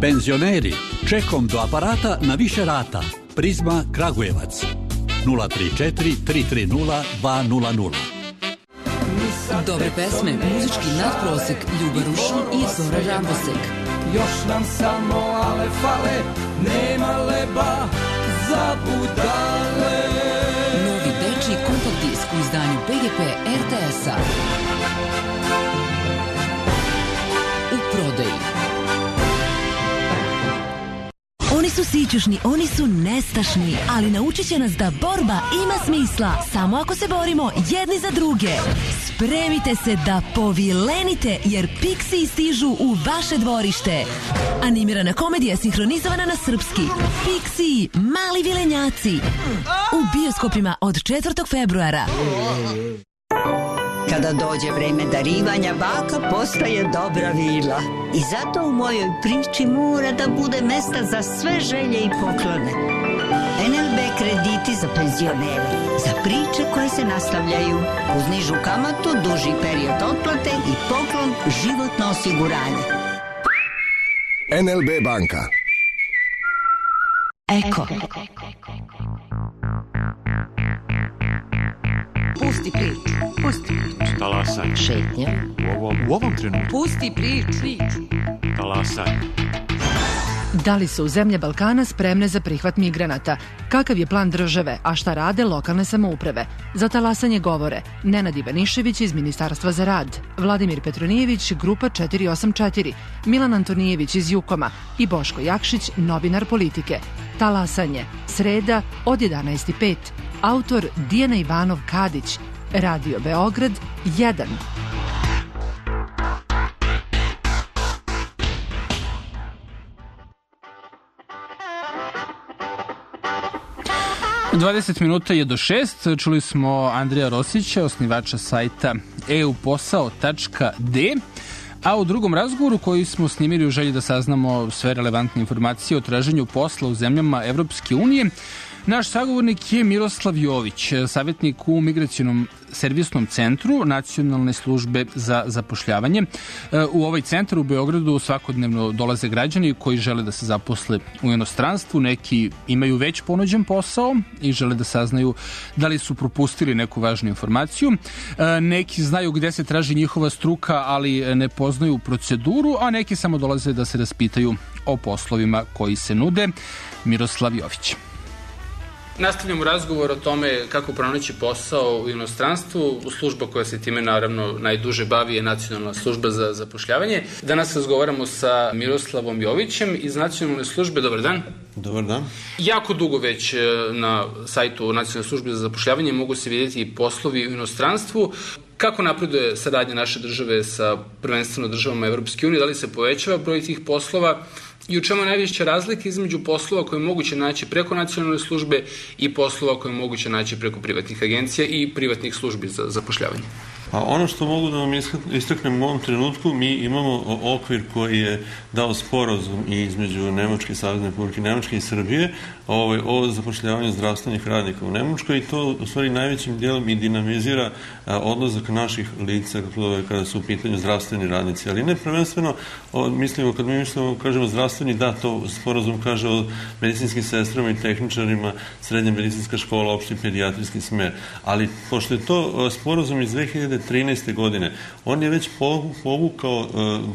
Penzioneri, čekom do aparata na više rata. Prizma Kragujevac. 034 330 200. Dobre pesme, muzički nadprosek, Ljuba Rušin i Zora Žambosek. Još nam samo ale fale, nema leba za budale. Novi dečiji kompakt disk u izdanju PGP RTS-a. U prodaji. Oni su sićušni, oni su nestašni, ali naučit će nas da borba ima smisla samo ako se borimo jedni za druge. Spremite se da povilenite jer Pixiji stižu u vaše dvorište. Animirana komedija sinhronizovana na srpski. Pixiji, mali vilenjaci. U bioskopima od 4. februara. Kada dođe vreme darivanja, baka postaje dobra vila. I zato u mojoj priči mora da bude mesta za sve želje i poklone. NLB krediti za penzionere, za priče koje se nastavljaju, uz nižu kamatu, duži period otplate i poklon životno osiguranje. NLB banka. Eko. Pusti priču. Pusti priču. Talasaj. Šetnja. U ovom trenutku. Pusti priču. Talasaj. Da li su zemlje Balkana spremne za prihvat migranata? Kakav je plan države, a šta rade lokalne samouprave? Za talasanje govore Nenad Ivanišević iz Ministarstva za rad, Vladimir Petronijević, Grupa 484, Milan Antonijević iz Jukoma i Boško Jakšić, novinar Politike. Talasanje, sreda od 11:05. Autor Dijana Ivanov-Kadić, Radio Beograd 1. 20 minuta je do 6. Čuli smo Andreja Rosića, osnivača sajta euposao.d, a u drugom razgovoru koji smo snimili u želji da saznamo sve relevantne informacije o traženju posla u zemljama Evropske unije, naš sagovornik je Miroslav Jović, savjetnik u Migracionom servisnom centru Nacionalne službe za zapošljavanje. U ovaj centar u Beogradu svakodnevno dolaze građani koji žele da se zaposle u inostranstvu. Neki imaju već ponuđen posao i žele da saznaju da li su propustili neku važnu informaciju. Neki znaju gde se traži njihova struka, ali ne poznaju proceduru, a neki samo dolaze da se raspitaju o poslovima koji se nude. Miroslav Jović. Nastavljamo razgovor o tome kako pronaći posao u inostranstvu. Služba koja se time naravno najduže bavi je Nacionalna služba za zapošljavanje. Danas razgovaramo sa Miroslavom Jovićem iz Nacionalne službe. Dobar dan. Dobar dan. Jako dugo već na sajtu Nacionalne službe za zapošljavanje mogu se vidjeti poslovi u inostranstvu. Kako napreduje saradnja naše države sa prvenstveno državama Evropske unije? Da li se povećava broj tih poslova? I u čemu je najveća razlika između poslova koje je moguće naći preko nacionalne službe i poslova koje je moguće naći preko privatnih agencija i privatnih službi za zapošljavanje? A ono što mogu da vam istaknem u ovom trenutku, mi imamo okvir koji je dao sporazum između Nemačke, Savezne Republike Nemačke i Srbije o zapošljavanju zdravstvenih radnika u Nemačkoj i to u stvari najvećim dijelom i dinamizira odlazak naših lica kada su u pitanju zdravstveni radnici. Ali ne prvenstveno, mislimo, kad mi mislimo, kažemo zdravstveni, da, to sporazum kaže o medicinskim sestrama i tehničarima, srednja medicinska škola, opšti pedijatrijski smer. Ali pošto je to sporazum iz 2013. godine, on je već povukao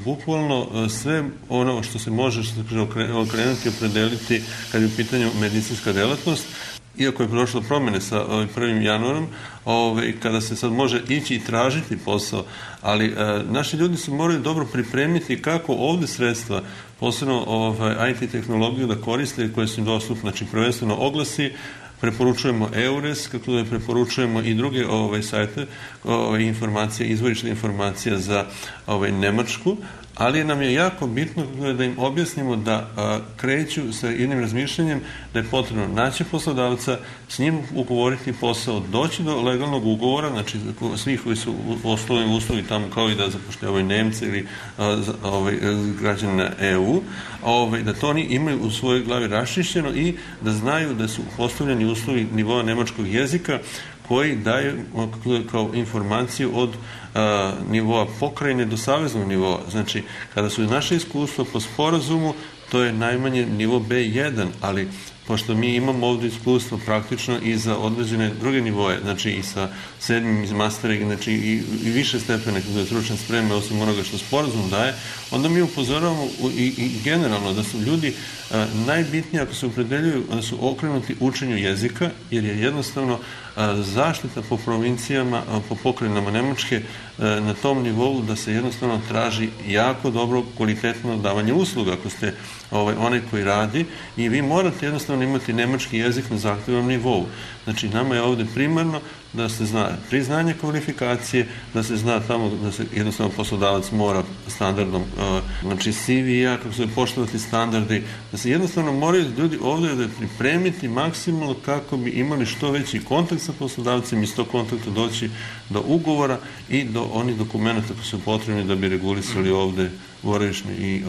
bukvalno sve ono što se može okrenuti i opredeliti kad je u pitanju medicinska delatnost, iako je prošlo promjene sa 1. januarom, kada se sad može ići i tražiti posao, ali naši ljudi se moraju dobro pripremiti kako ovde sredstva, posebno IT tehnologiju da koriste koje su im dostupne, znači prvenstveno oglasi, preporučujemo EURES, kako da preporučujemo i druge sajte, informacije, izvorišne informacije za Nemačku, ali nam je jako bitno da im objasnimo da kreću sa jednim razmišljanjem da je potrebno naći poslodavca, s njim ugovoriti posao, doći do legalnog ugovora, znači svih koji su osnovni uslovi tamo kao i da zapošljavaju Nemce ili građane EU, da to oni imaju u svojoj glavi raščišćeno i da znaju da su postavljeni uslovi nivoa nemačkog jezika koji daju kao informaciju od nivoa pokrajine do saveznog nivoa. Znači, kada su naše iskustva po sporazumu, to je najmanje nivo B1, ali pošto mi imamo ovdje iskustvo praktično i za određene druge nivoje, znači i sa 7. iz mastera, znači i više stepene kada je stručna sprema, osim onoga što sporazum daje, onda mi upozoravamo i generalno da su ljudi najbitnije ako se opredeljuju da su okrenuti učenju jezika, jer je jednostavno zaštita po provincijama, po pokrajinama Nemačke na tom nivou da se jednostavno traži jako dobro kvalitetno davanje usluga ako ste onaj koji radi i vi morate jednostavno imati nemački jezik na zahtevnom nivou. Znači, nama je ovde primarno da se zna priznanje kvalifikacije, da se zna tamo da se jednostavno poslodavac mora standardom, znači CV-a, kako se poštovati standardi, da se jednostavno moraju ljudi ovde da pripremiti maksimalno kako bi imali što veći kontakt sa poslodavcem i iz tog kontakta doći do ugovora i do onih dokumenta koji su potrebni da bi regulisali ovde boravišne i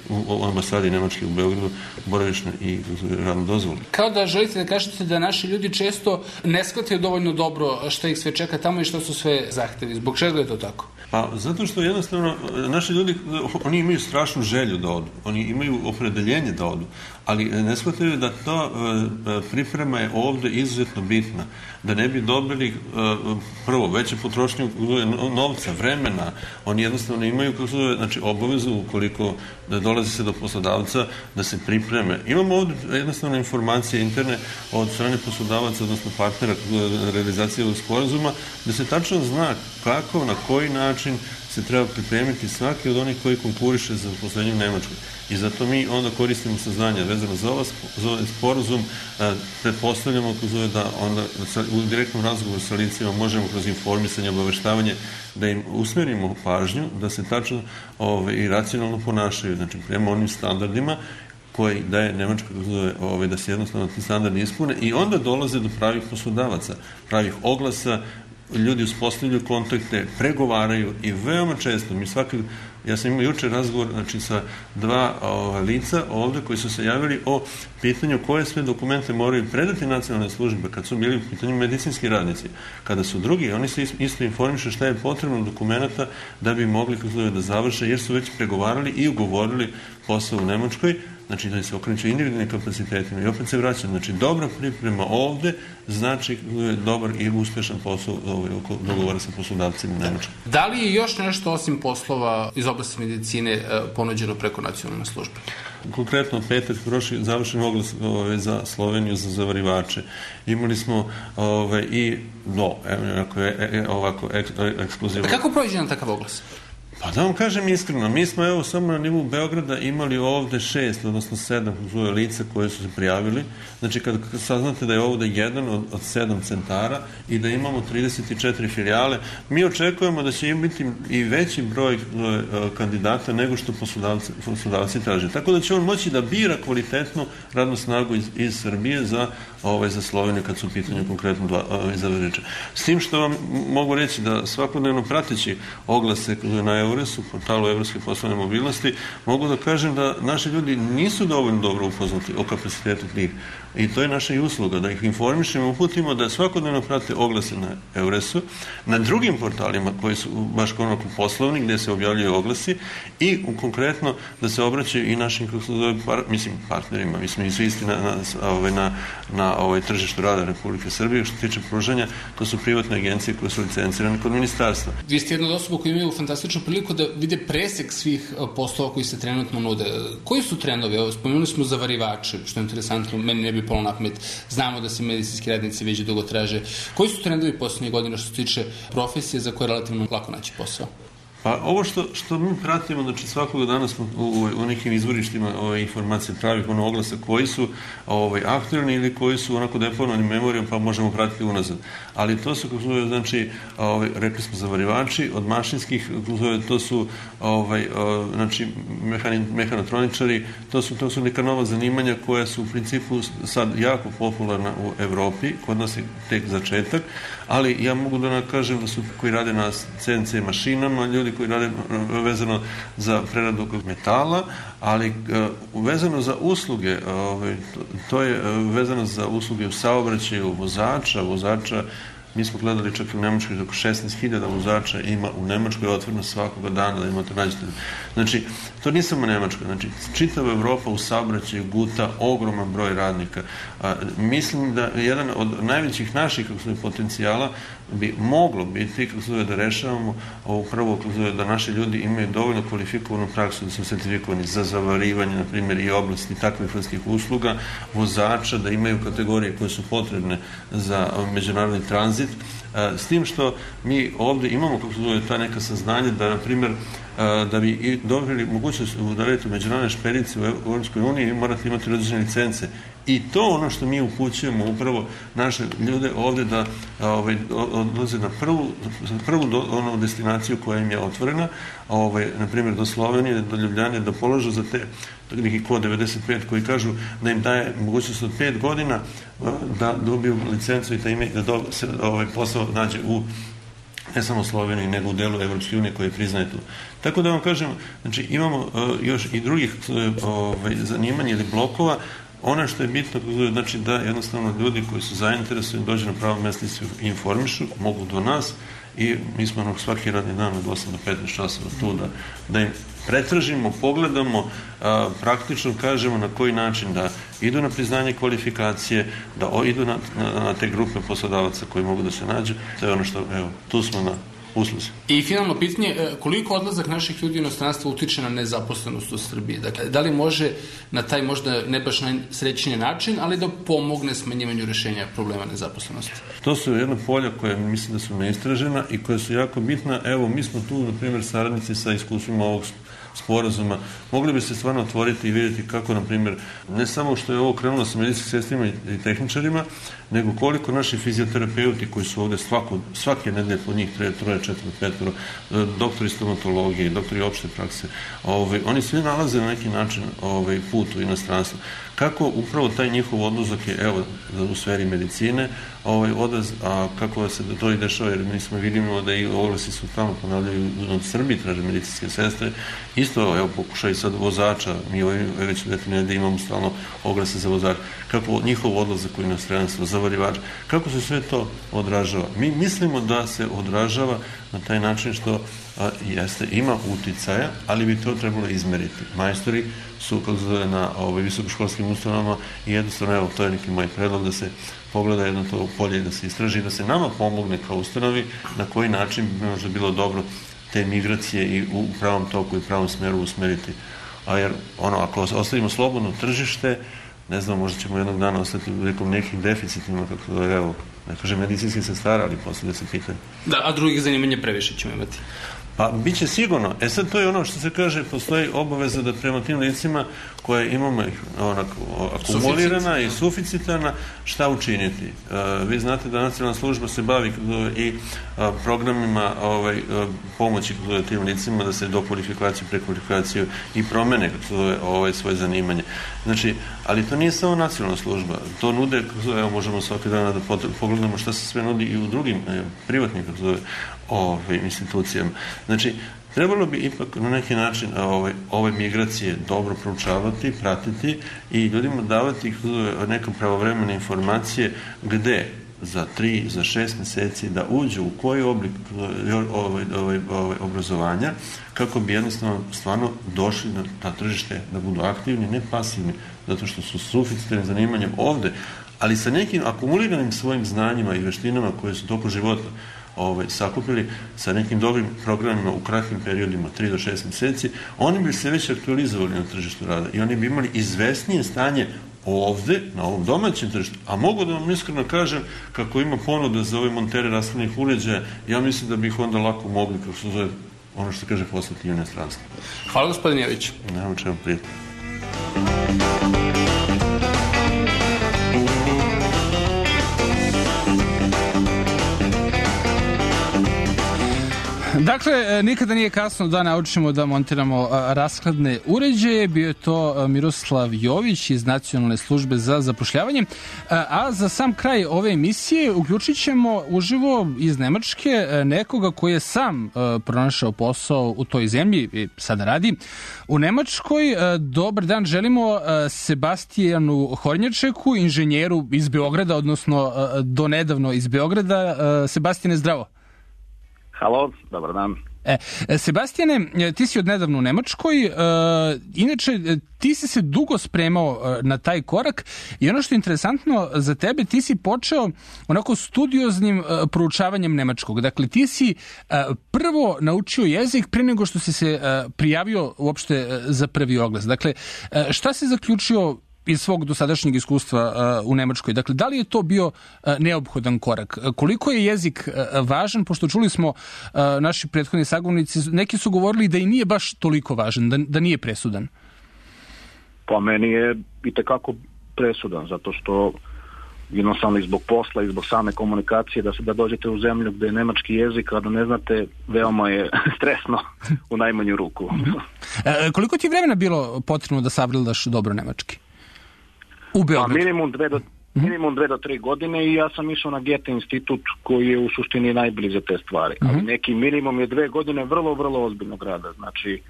u ambasadi Nemačke u Beogradu boravišne i radnu dozvolu. Kao da želite da kažete da naši ljudi često ne shvataju dovoljno dobro šta ih sve čeka tamo i šta su sve zahtevi. Zbog čega je to tako? Pa zato što jednostavno naši ljudi, oni imaju strašnu želju da odu, oni imaju opredeljenje da odu, ali ne shvataju da ta priprema je ovde izuzetno bitna, da ne bi dobili prvo veće potrošnje novca, vremena, oni jednostavno imaju znači obavezu ukoliko dolazi se do poslodavca da se pripreme. Imamo ovde jednostavno informacije interne od strane poslodavaca, odnosno partnera realizacije ovog sporazuma, da se tačno zna kako, na koji način se treba pripremiti svaki od onih koji konkuriše za zaposlenje u Nemačkoj. I zato mi onda koristimo saznanja vezano za ovaj sporazum, pretpostavljamo da onda u direktnom razgovoru sa licima možemo kroz informisanje, obaveštavanje da im usmerimo pažnju, da se tačno i racionalno ponašaju, znači prema onim standardima koji daje Nemačka da se jednostavno ti standardi ispune i onda dolaze do pravih poslodavaca, pravih oglasa, ljudi uspostavljaju kontakte, pregovaraju i veoma često, ja sam imao juče razgovor sa dva lica ovde koji su se javili o pitanju koje sve dokumente moraju predati nacionalne službe kad su bili u pitanju medicinski radnici. Kada su drugi, oni se isto informišu šta je potrebno dokumenta da bi mogli da završe jer su već pregovarali i ugovorili posao u Nemačkoj, znači da se okreću individualnim kapacitetima i opet se vraćam. Znači, dobra priprema ovde znači dobar i uspešan posao oko dogovora sa poslodavcima u Nemačkoj. Da li je još nešto osim poslova iz oblasti medicine ponuđeno preko nacionalne službe? Konkretno, petak prošli završen oglas za Sloveniju za zavarivače. Imali smo i ovako ekskluzivno. A kako prođe na takav oglas? Pa da vam kažem iskreno, mi smo samo na nivou Beograda imali ovde 6, odnosno 7 lica koje su se prijavili. Znači kad saznate da je ovde jedan od 7 centara i da imamo 34 filijale, mi očekujemo da će biti i veći broj kandidata nego što poslodavci traže. Tako da će on moći da bira kvalitetnu radnu snagu iz Srbije za Sloveniju kad su u pitanju konkretno zavarivača. S tim što vam mogu reći da svakodnevno prateći oglase na Euresu, portalu Evropske poslovne mobilnosti, mogu da kažem da naši ljudi nisu dovoljno dobro upoznati o kapacitetu tih. I to je naša i usluga, da ih informišemo, uputimo da svakodnevno prate oglase na Euresu, na drugim portalima koji su baš konoko poslovni, gde se objavljaju oglasi i konkretno da se obraćaju i našim partnerima. Mi smo svi isti na tržištu rada Republike Srbije. Što se tiče pružanja, to su privatne agencije koje su licencirane kod ministarstva. Vi ste jedna od osoba koji imaju fantastičnu priliku da vide presek svih poslova koji se trenutno nude. Koji su trendovi? Spomenuli smo zavarivače, što je interesantno, meni ne bi palo na pamet. Znamo da se medicinski radnici već dugo traže. Koji su trendovi poslednjih godina što se tiče profesije za koje je relativno lako naći posao? Pa ovo što mi pratimo, znači svakog dana smo u nekim izvorištima informacije pravih oglasa koji su aktualni ili koji su onako deponovani memorijom pa možemo pratiti unazad. Ali to su, znači, rekli smo zavarivači, od mašinskih, to su znači mehanotroničari, to su neka nova zanimanja koja su u principu sad jako popularna u Evropi, kod nas je tek začetak, ali ja mogu da kažem da su koji rade na CNC mašinama, ljudi koji rade vezano za preradu metala, ali vezano za usluge, to je vezano za usluge u saobraćaju vozača, mi smo gledali čak i u Nemačkoj, oko 16.000 vozača ima u Nemačkoj otvoreno svakoga dana da imate nađete. Znači, to nije samo Nemačka, znači, čitava Evropa u saobraćaju guta ogroman broj radnika. Mislim da jedan od najvećih naših potencijala bi moglo biti da rešavamo upravo da naši ljudi imaju dovoljno kvalifikovanu praksu, da su sertifikovani za zavarivanje, na primjer, i oblasti takvih vrstnih usluga, vozača, da imaju kategorije koje su potrebne za međunarodni tranzit, s tim što mi ovde imamo ta neka saznanja da, na primjer, da bi i dobili mogućnost da radite u međunarodnoj špediciji u Europskoj uniji, morate imati određene licence. I to ono što mi upućujemo upravo naše ljude ovde da odlaze na prvu onu destinaciju koja im je otvorena, na primjer do Slovenije, do Ljubljane, da položu za te neki kod 95 koji kažu da im daje mogućnost od 5 godina da dobiju licencu i da se posao nađe u ne samo Sloveniji, nego u delu Evropske unije koje priznaje tu. Tako da vam kažem, znači imamo još i drugih zanimanja ili blokova. Ono što je bitno, znači da jednostavno ljudi koji su zainteresovani dođu na pravo mesto i se informišu, mogu do nas i mi smo svaki radni dan od 8 do 15 časova tu da im pretražimo, pogledamo, praktično kažemo na koji način da idu na priznanje kvalifikacije, da idu na te grupe poslodavaca koji mogu da se nađu. To je ono što, evo, tu smo na usluzi. I finalno pitanje, koliko odlazak naših ljudi u inostranstvo utiče na nezaposlenost u Srbiji? Dakle, da li može na taj možda ne baš najsrećniji način, ali da pomogne smanjivanju rešenja problema nezaposlenosti? To su jedna polja koja mislim da su neistražena i koja su jako bitna. Evo, mi smo tu, na primjer, saradnici sa iskustvima ovog sporazuma. Mogli bi se stvarno otvoriti i vidjeti kako, na primjer, ne samo što je ovo krenulo sa medicinskim sestrima i tehničarima, nego koliko naši fizioterapeuti koji su ovde svake nedelje po njih 3, 4, 5, doktori stomatologije, doktori opšte prakse, oni svi nalaze na neki način put u inostranstvo. Kako upravo taj njihov odlazak je, evo, u sferi medicine, odlaz, a kako se to i dešava, jer mi smo vidimo da i oglasi su tamo ponavljaju od Srbiji, traže medicinske sestre, isto, evo, pokušaj sad vozača, mi već da imamo stalno oglase za vozača, kako njihov odlazak u inostranstvo, zavarivač, kako se sve to odražava. Mi mislimo da se odražava na taj način što ima uticaja, ali bi to trebalo izmeriti. Majstori su, kako se zove, na visokoškolskim ustanovama i jednostavno, evo, to je neki moj predlog da se pogleda jedno to polje i da se istraži, da se nama pomogne kao ustanovi na koji način bi možda bilo dobro te migracije i u pravom toku i pravom smeru usmeriti. A jer, ako ostavimo slobodno tržište, ne znam, možda ćemo jednog dana ostati u nekim deficitima, kako da, evo, ne kažem medicinski sestara, ali poslije se pitanje. Da, a drugih zanimanja previše ćemo imati. Pa, bit će sigurno. Sad, to je ono što se kaže, postoji obaveza da prema tim licima koje imamo akumulirana i suficitarna, šta učiniti. Vi znate da nacionalna služba se bavi i programima pomoći tim licima da se do kvalifikacije, prekvalifikaciju i promene svoje zanimanje. Znači, ali to nije samo nacionalna služba. To nude, evo, možemo svaki dan da pogledamo šta se sve nudi i u drugim privatnim institucijama. Znači, trebalo bi ipak na neki način ove migracije dobro proučavati, pratiti i ljudima davati neke pravovremene informacije gde za 3, za 6 meseci da uđu u koji oblik obrazovanja kako bi jednostavno stvarno došli na tržište da budu aktivni, ne pasivni, zato što su suficitarnim zanimanjem ovde, ali sa nekim akumuliranim svojim znanjima i veštinama koje su tokom života sakupili sa nekim dobrim programima u kratkim periodima, 3 do 6 meseci, oni bi se već aktualizovali na tržištu rada i oni bi imali izvesnije stanje ovde, na ovom domaćem tržištu, a mogu da vam iskreno kažem, kako ima ponuda za ove montere rashladnih uređaja, ja mislim da bi ih onda lako mogli, kako se zove, ono što kaže, poslati i u inostranstvo. Hvala, gospodin Jević. Nemam čemu prijeti. Dakle, nikada nije kasno da naučimo da montiramo rashladne uređaje. Bio je to Miroslav Jović iz Nacionalne službe za zapošljavanje. A za sam kraj ove emisije uključit ćemo uživo iz Nemačke nekoga koji je sam pronašao posao u toj zemlji i sada radi u Nemačkoj. Dobar dan, želimo Sebastijanu Hornjačeku, inženjeru iz Beograda, odnosno donedavno iz Beograda. Sebastijane, zdravo. Halo, dobar dan. Sebastijane, ti si odnedavno u Nemačkoj, inače ti si se dugo spremao na taj korak i ono što je interesantno za tebe, ti si počeo onako studioznim proučavanjem nemačkog. Dakle, ti si prvo naučio jezik pre nego što si se prijavio uopšte za prvi oglas. Dakle, šta si zaključio iz svog dosadašnjeg iskustva u Nemačkoj. Dakle, da li je to bio neophodan korak? Koliko je jezik važan? Pošto čuli smo naši prethodni sagovornici, neki su govorili da i nije baš toliko važan, da nije presudan. Pa meni je itekako presudan, zato što jednostavno i zbog posla i zbog same komunikacije, da dođete u zemlju gde je nemački jezik, a da ne znate, veoma je stresno u najmanju ruku. Koliko ti je vremena bilo potrebno da savladaš dobro nemački? U Beogradu? Minimum 2 do 3 godine i ja sam išao na Goethe institut koji je u suštini najbliže za te stvari. Ali neki minimum je 2 godine vrlo, vrlo ozbiljnog rada. Znači,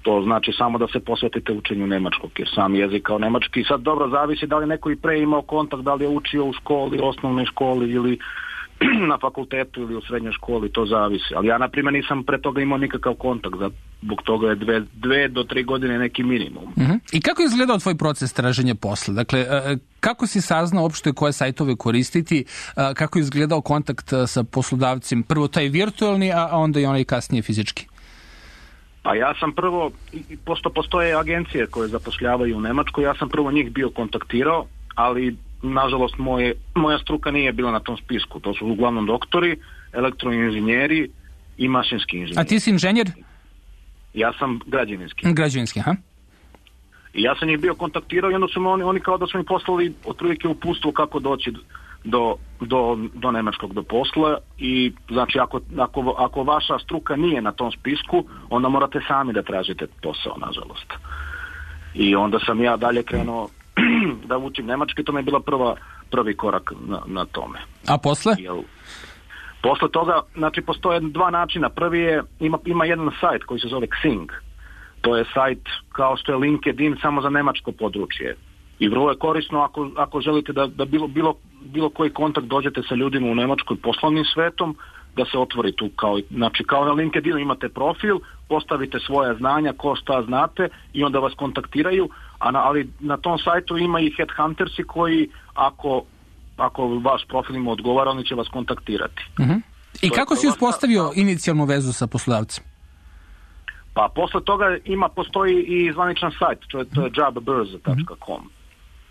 to znači samo da se posvetite učenju nemačkog, jer sam jezik kao nemački sad dobro zavisi da li neko i pre imao kontakt, da li je učio u školi, osnovnoj školi ili na fakultetu ili u srednjoj školi, to zavisi. Ali ja, na primjer, nisam pre toga imao nikakav kontakt, zbog toga je 2 do 3 godine neki minimum. I kako je izgledao tvoj proces traženja posla? Dakle, kako si saznao uopšte koje sajtove koristiti, kako je izgledao kontakt sa poslodavcem, prvo taj virtualni, a onda i onaj kasnije fizički? Pa ja sam prvo, pošto postoje agencije koje zapošljavaju u Nemačkoj, ja sam prvo njih bio kontaktirao, ali nažalost moja struka nije bila na tom spisku. To su uglavnom doktori, elektroinženjeri i mašinski inženjeri. A ti si inženjer? Ja sam građevinski. Građevinski, aha. I ja sam njih bio kontaktirao i onda su oni kao da su mi poslali otprilike uputstvo kako doći do nemačkog do posla i znači ako vaša struka nije na tom spisku, onda morate sami da tražite posao, nažalost. I onda sam ja dalje krenuo da učim nemački, to mi je bila prvi korak na tome. A posle? Posle toga, znači, postoje 2 načina. Prvi je, ima jedan sajt koji se zove Xing. To je sajt kao što je LinkedIn, samo za nemačko područje. I vrlo je korisno ako želite da bilo koji kontakt dođete sa ljudima u Nemačkoj poslovnim svetom, da se otvori tu kao na LinkedInu imate profil, postavite svoje znanja, ko šta znate i onda vas kontaktiraju, ali na tom sajtu ima i headhuntersi koji ako vaš profil im odgovara, oni će vas kontaktirati. I kako si uspostavio inicijalnu vezu sa poslodavcem? Pa posle toga postoji i zvaničan sajt, to je jobburza.com.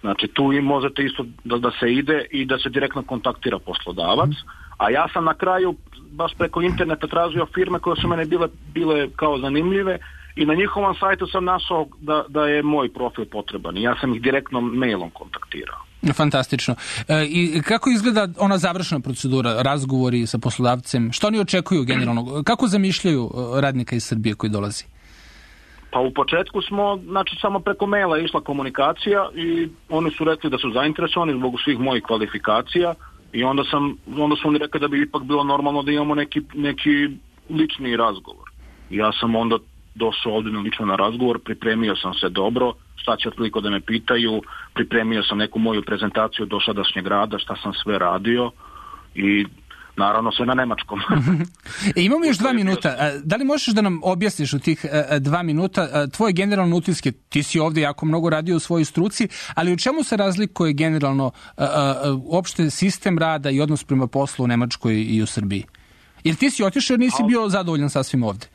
Znači tu i možete isto da se ide i da se direktno kontaktira poslodavac, a ja sam na kraju baš preko interneta tražio firme koje su mene bile kao zanimljive i na njihovom sajtu sam našao da je moj profil potreban i ja sam ih direktno mailom kontaktirao. Fantastično. I kako izgleda ona završna procedura, razgovori sa poslodavcem? Što oni očekuju generalno? Kako zamišljaju radnika iz Srbije koji dolazi? Pa u početku znači samo preko maila je išla komunikacija i oni su rekli da su zainteresovani zbog svih mojih kvalifikacija i onda su oni rekli da bi ipak bilo normalno da imamo neki lični razgovor. I ja sam onda došao ovdje lično na razgovor, pripremio sam se dobro, šta će otprilike da me pitaju, pripremio sam neku moju prezentaciju dosadašnjeg rada, šta sam sve radio i naravno sve na nemačkom. Imamo još 2 minuta. Da li možeš da nam objasniš u tih 2 minuta tvoje generalne utiske? Ti si ovdje jako mnogo radio u svojoj struci, ali u čemu se razlikuje generalno uopšte sistem rada i odnos prema poslu u Nemačkoj i u Srbiji? Jer ti si otišao jer nisi bio zadovoljan sasvim ovdje.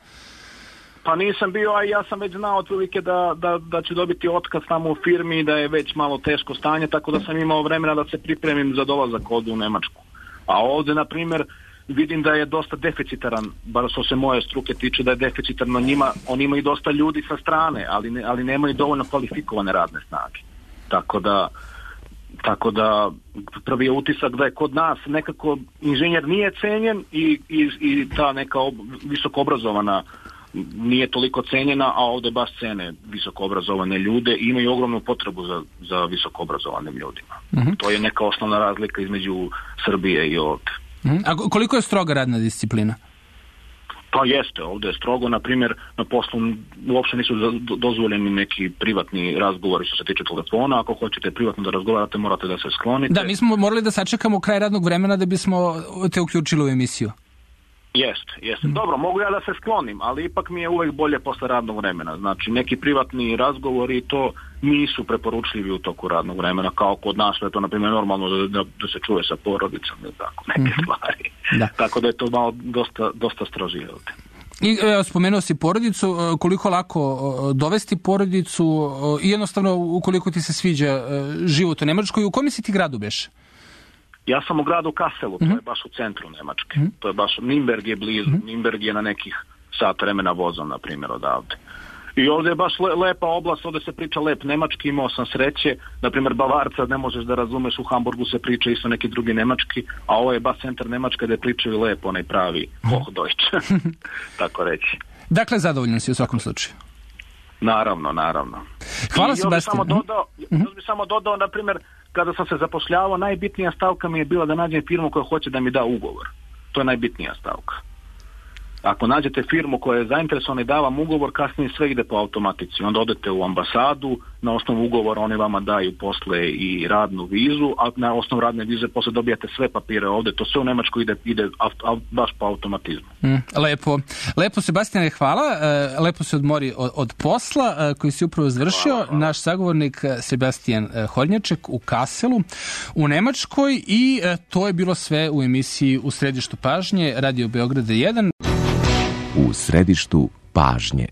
Pa nisam bio, a ja sam već znao otprilike da će dobiti otkaz tamo u firmi i da je već malo teško stanje, tako da sam imao vremena da se pripremim za dolazak ovdje u Nemačku. A ovdje, na primjer, vidim da je dosta deficitaran, bar što se moje struke tiče, da je deficitarno njima, oni imaju dosta ljudi sa strane, ali nemaju dovoljno kvalifikovane radne snage. Tako da prvi je utisak da je kod nas nekako inženjer nije cenjen i ta neka visoko obrazovana nije toliko cenjena, a ovdje baš cene visoko obrazovane ljude i imaju ogromnu potrebu za visoko obrazovanim ljudima. To je neka osnovna razlika između Srbije i ovdje. A koliko je stroga radna disciplina? Pa jeste, ovdje je strogo, na primjer, na poslu uopće nisu dozvoljeni neki privatni razgovori što se tiče telefona, ako hoćete privatno da razgovarate morate da se sklonite. Da, mi smo morali da sačekamo kraj radnog vremena da bismo te uključili u emisiju. Jeste. Dobro, mogu ja da se sklonim, ali ipak mi je uvek bolje posle radnog vremena. Znači, neki privatni razgovori to nisu preporučljivi u toku radnog vremena, kao kod nas, je to, na primjer, normalno da se čuje sa porodicom ili tako, neke stvari. Da. Tako da je to malo dosta strožije ovdje. I spomenuo si porodicu, koliko lako dovesti porodicu i jednostavno ukoliko ti se sviđa život u Nemačkoj, u kom si ti gradu beš? Ja sam u gradu Kasselu, to je baš u centru Nemačke. To je baš, Nürnberg je blizu, Nürnberg je na nekih sat vremena vozom, na primjer, odavde. I ovdje je baš lepa oblast, ovdje se priča lep nemački, imao sam sreće, na primjer Bavarca ne možeš da razumeš, u Hamburgu se priča isto neki drugi nemački, a ovo je baš centar Nemačka gdje pričaju lepo, onaj pravi Hochdeutsch, tako reći. Dakle, zadovoljan si u svakom slučaju. Naravno. Hvala Sebastian. Još bi samo dodao, na primjer, kada sam se zapošljavao, najbitnija stavka mi je bila da nađem firmu koja hoće da mi da ugovor. To je najbitnija stavka. Ako nađete firmu koja je zainteresovana i da vam ugovor, kasnije sve ide po automatici. Onda odete u ambasadu, na osnovu ugovora oni vama daju posle i radnu vizu, a na osnovu radne vize posle dobijate sve papire ovdje. To sve u Nemačkoj ide baš po automatizmu. Lepo Sebastiane, hvala. Lepo se odmori od posla koji si upravo završio. Hvala. Naš sagovornik Sebastian Hornjaček u Kasselu u Nemačkoj i to je bilo sve u emisiji U središtu pažnje Radio Beograda 1. U središtu pažnje.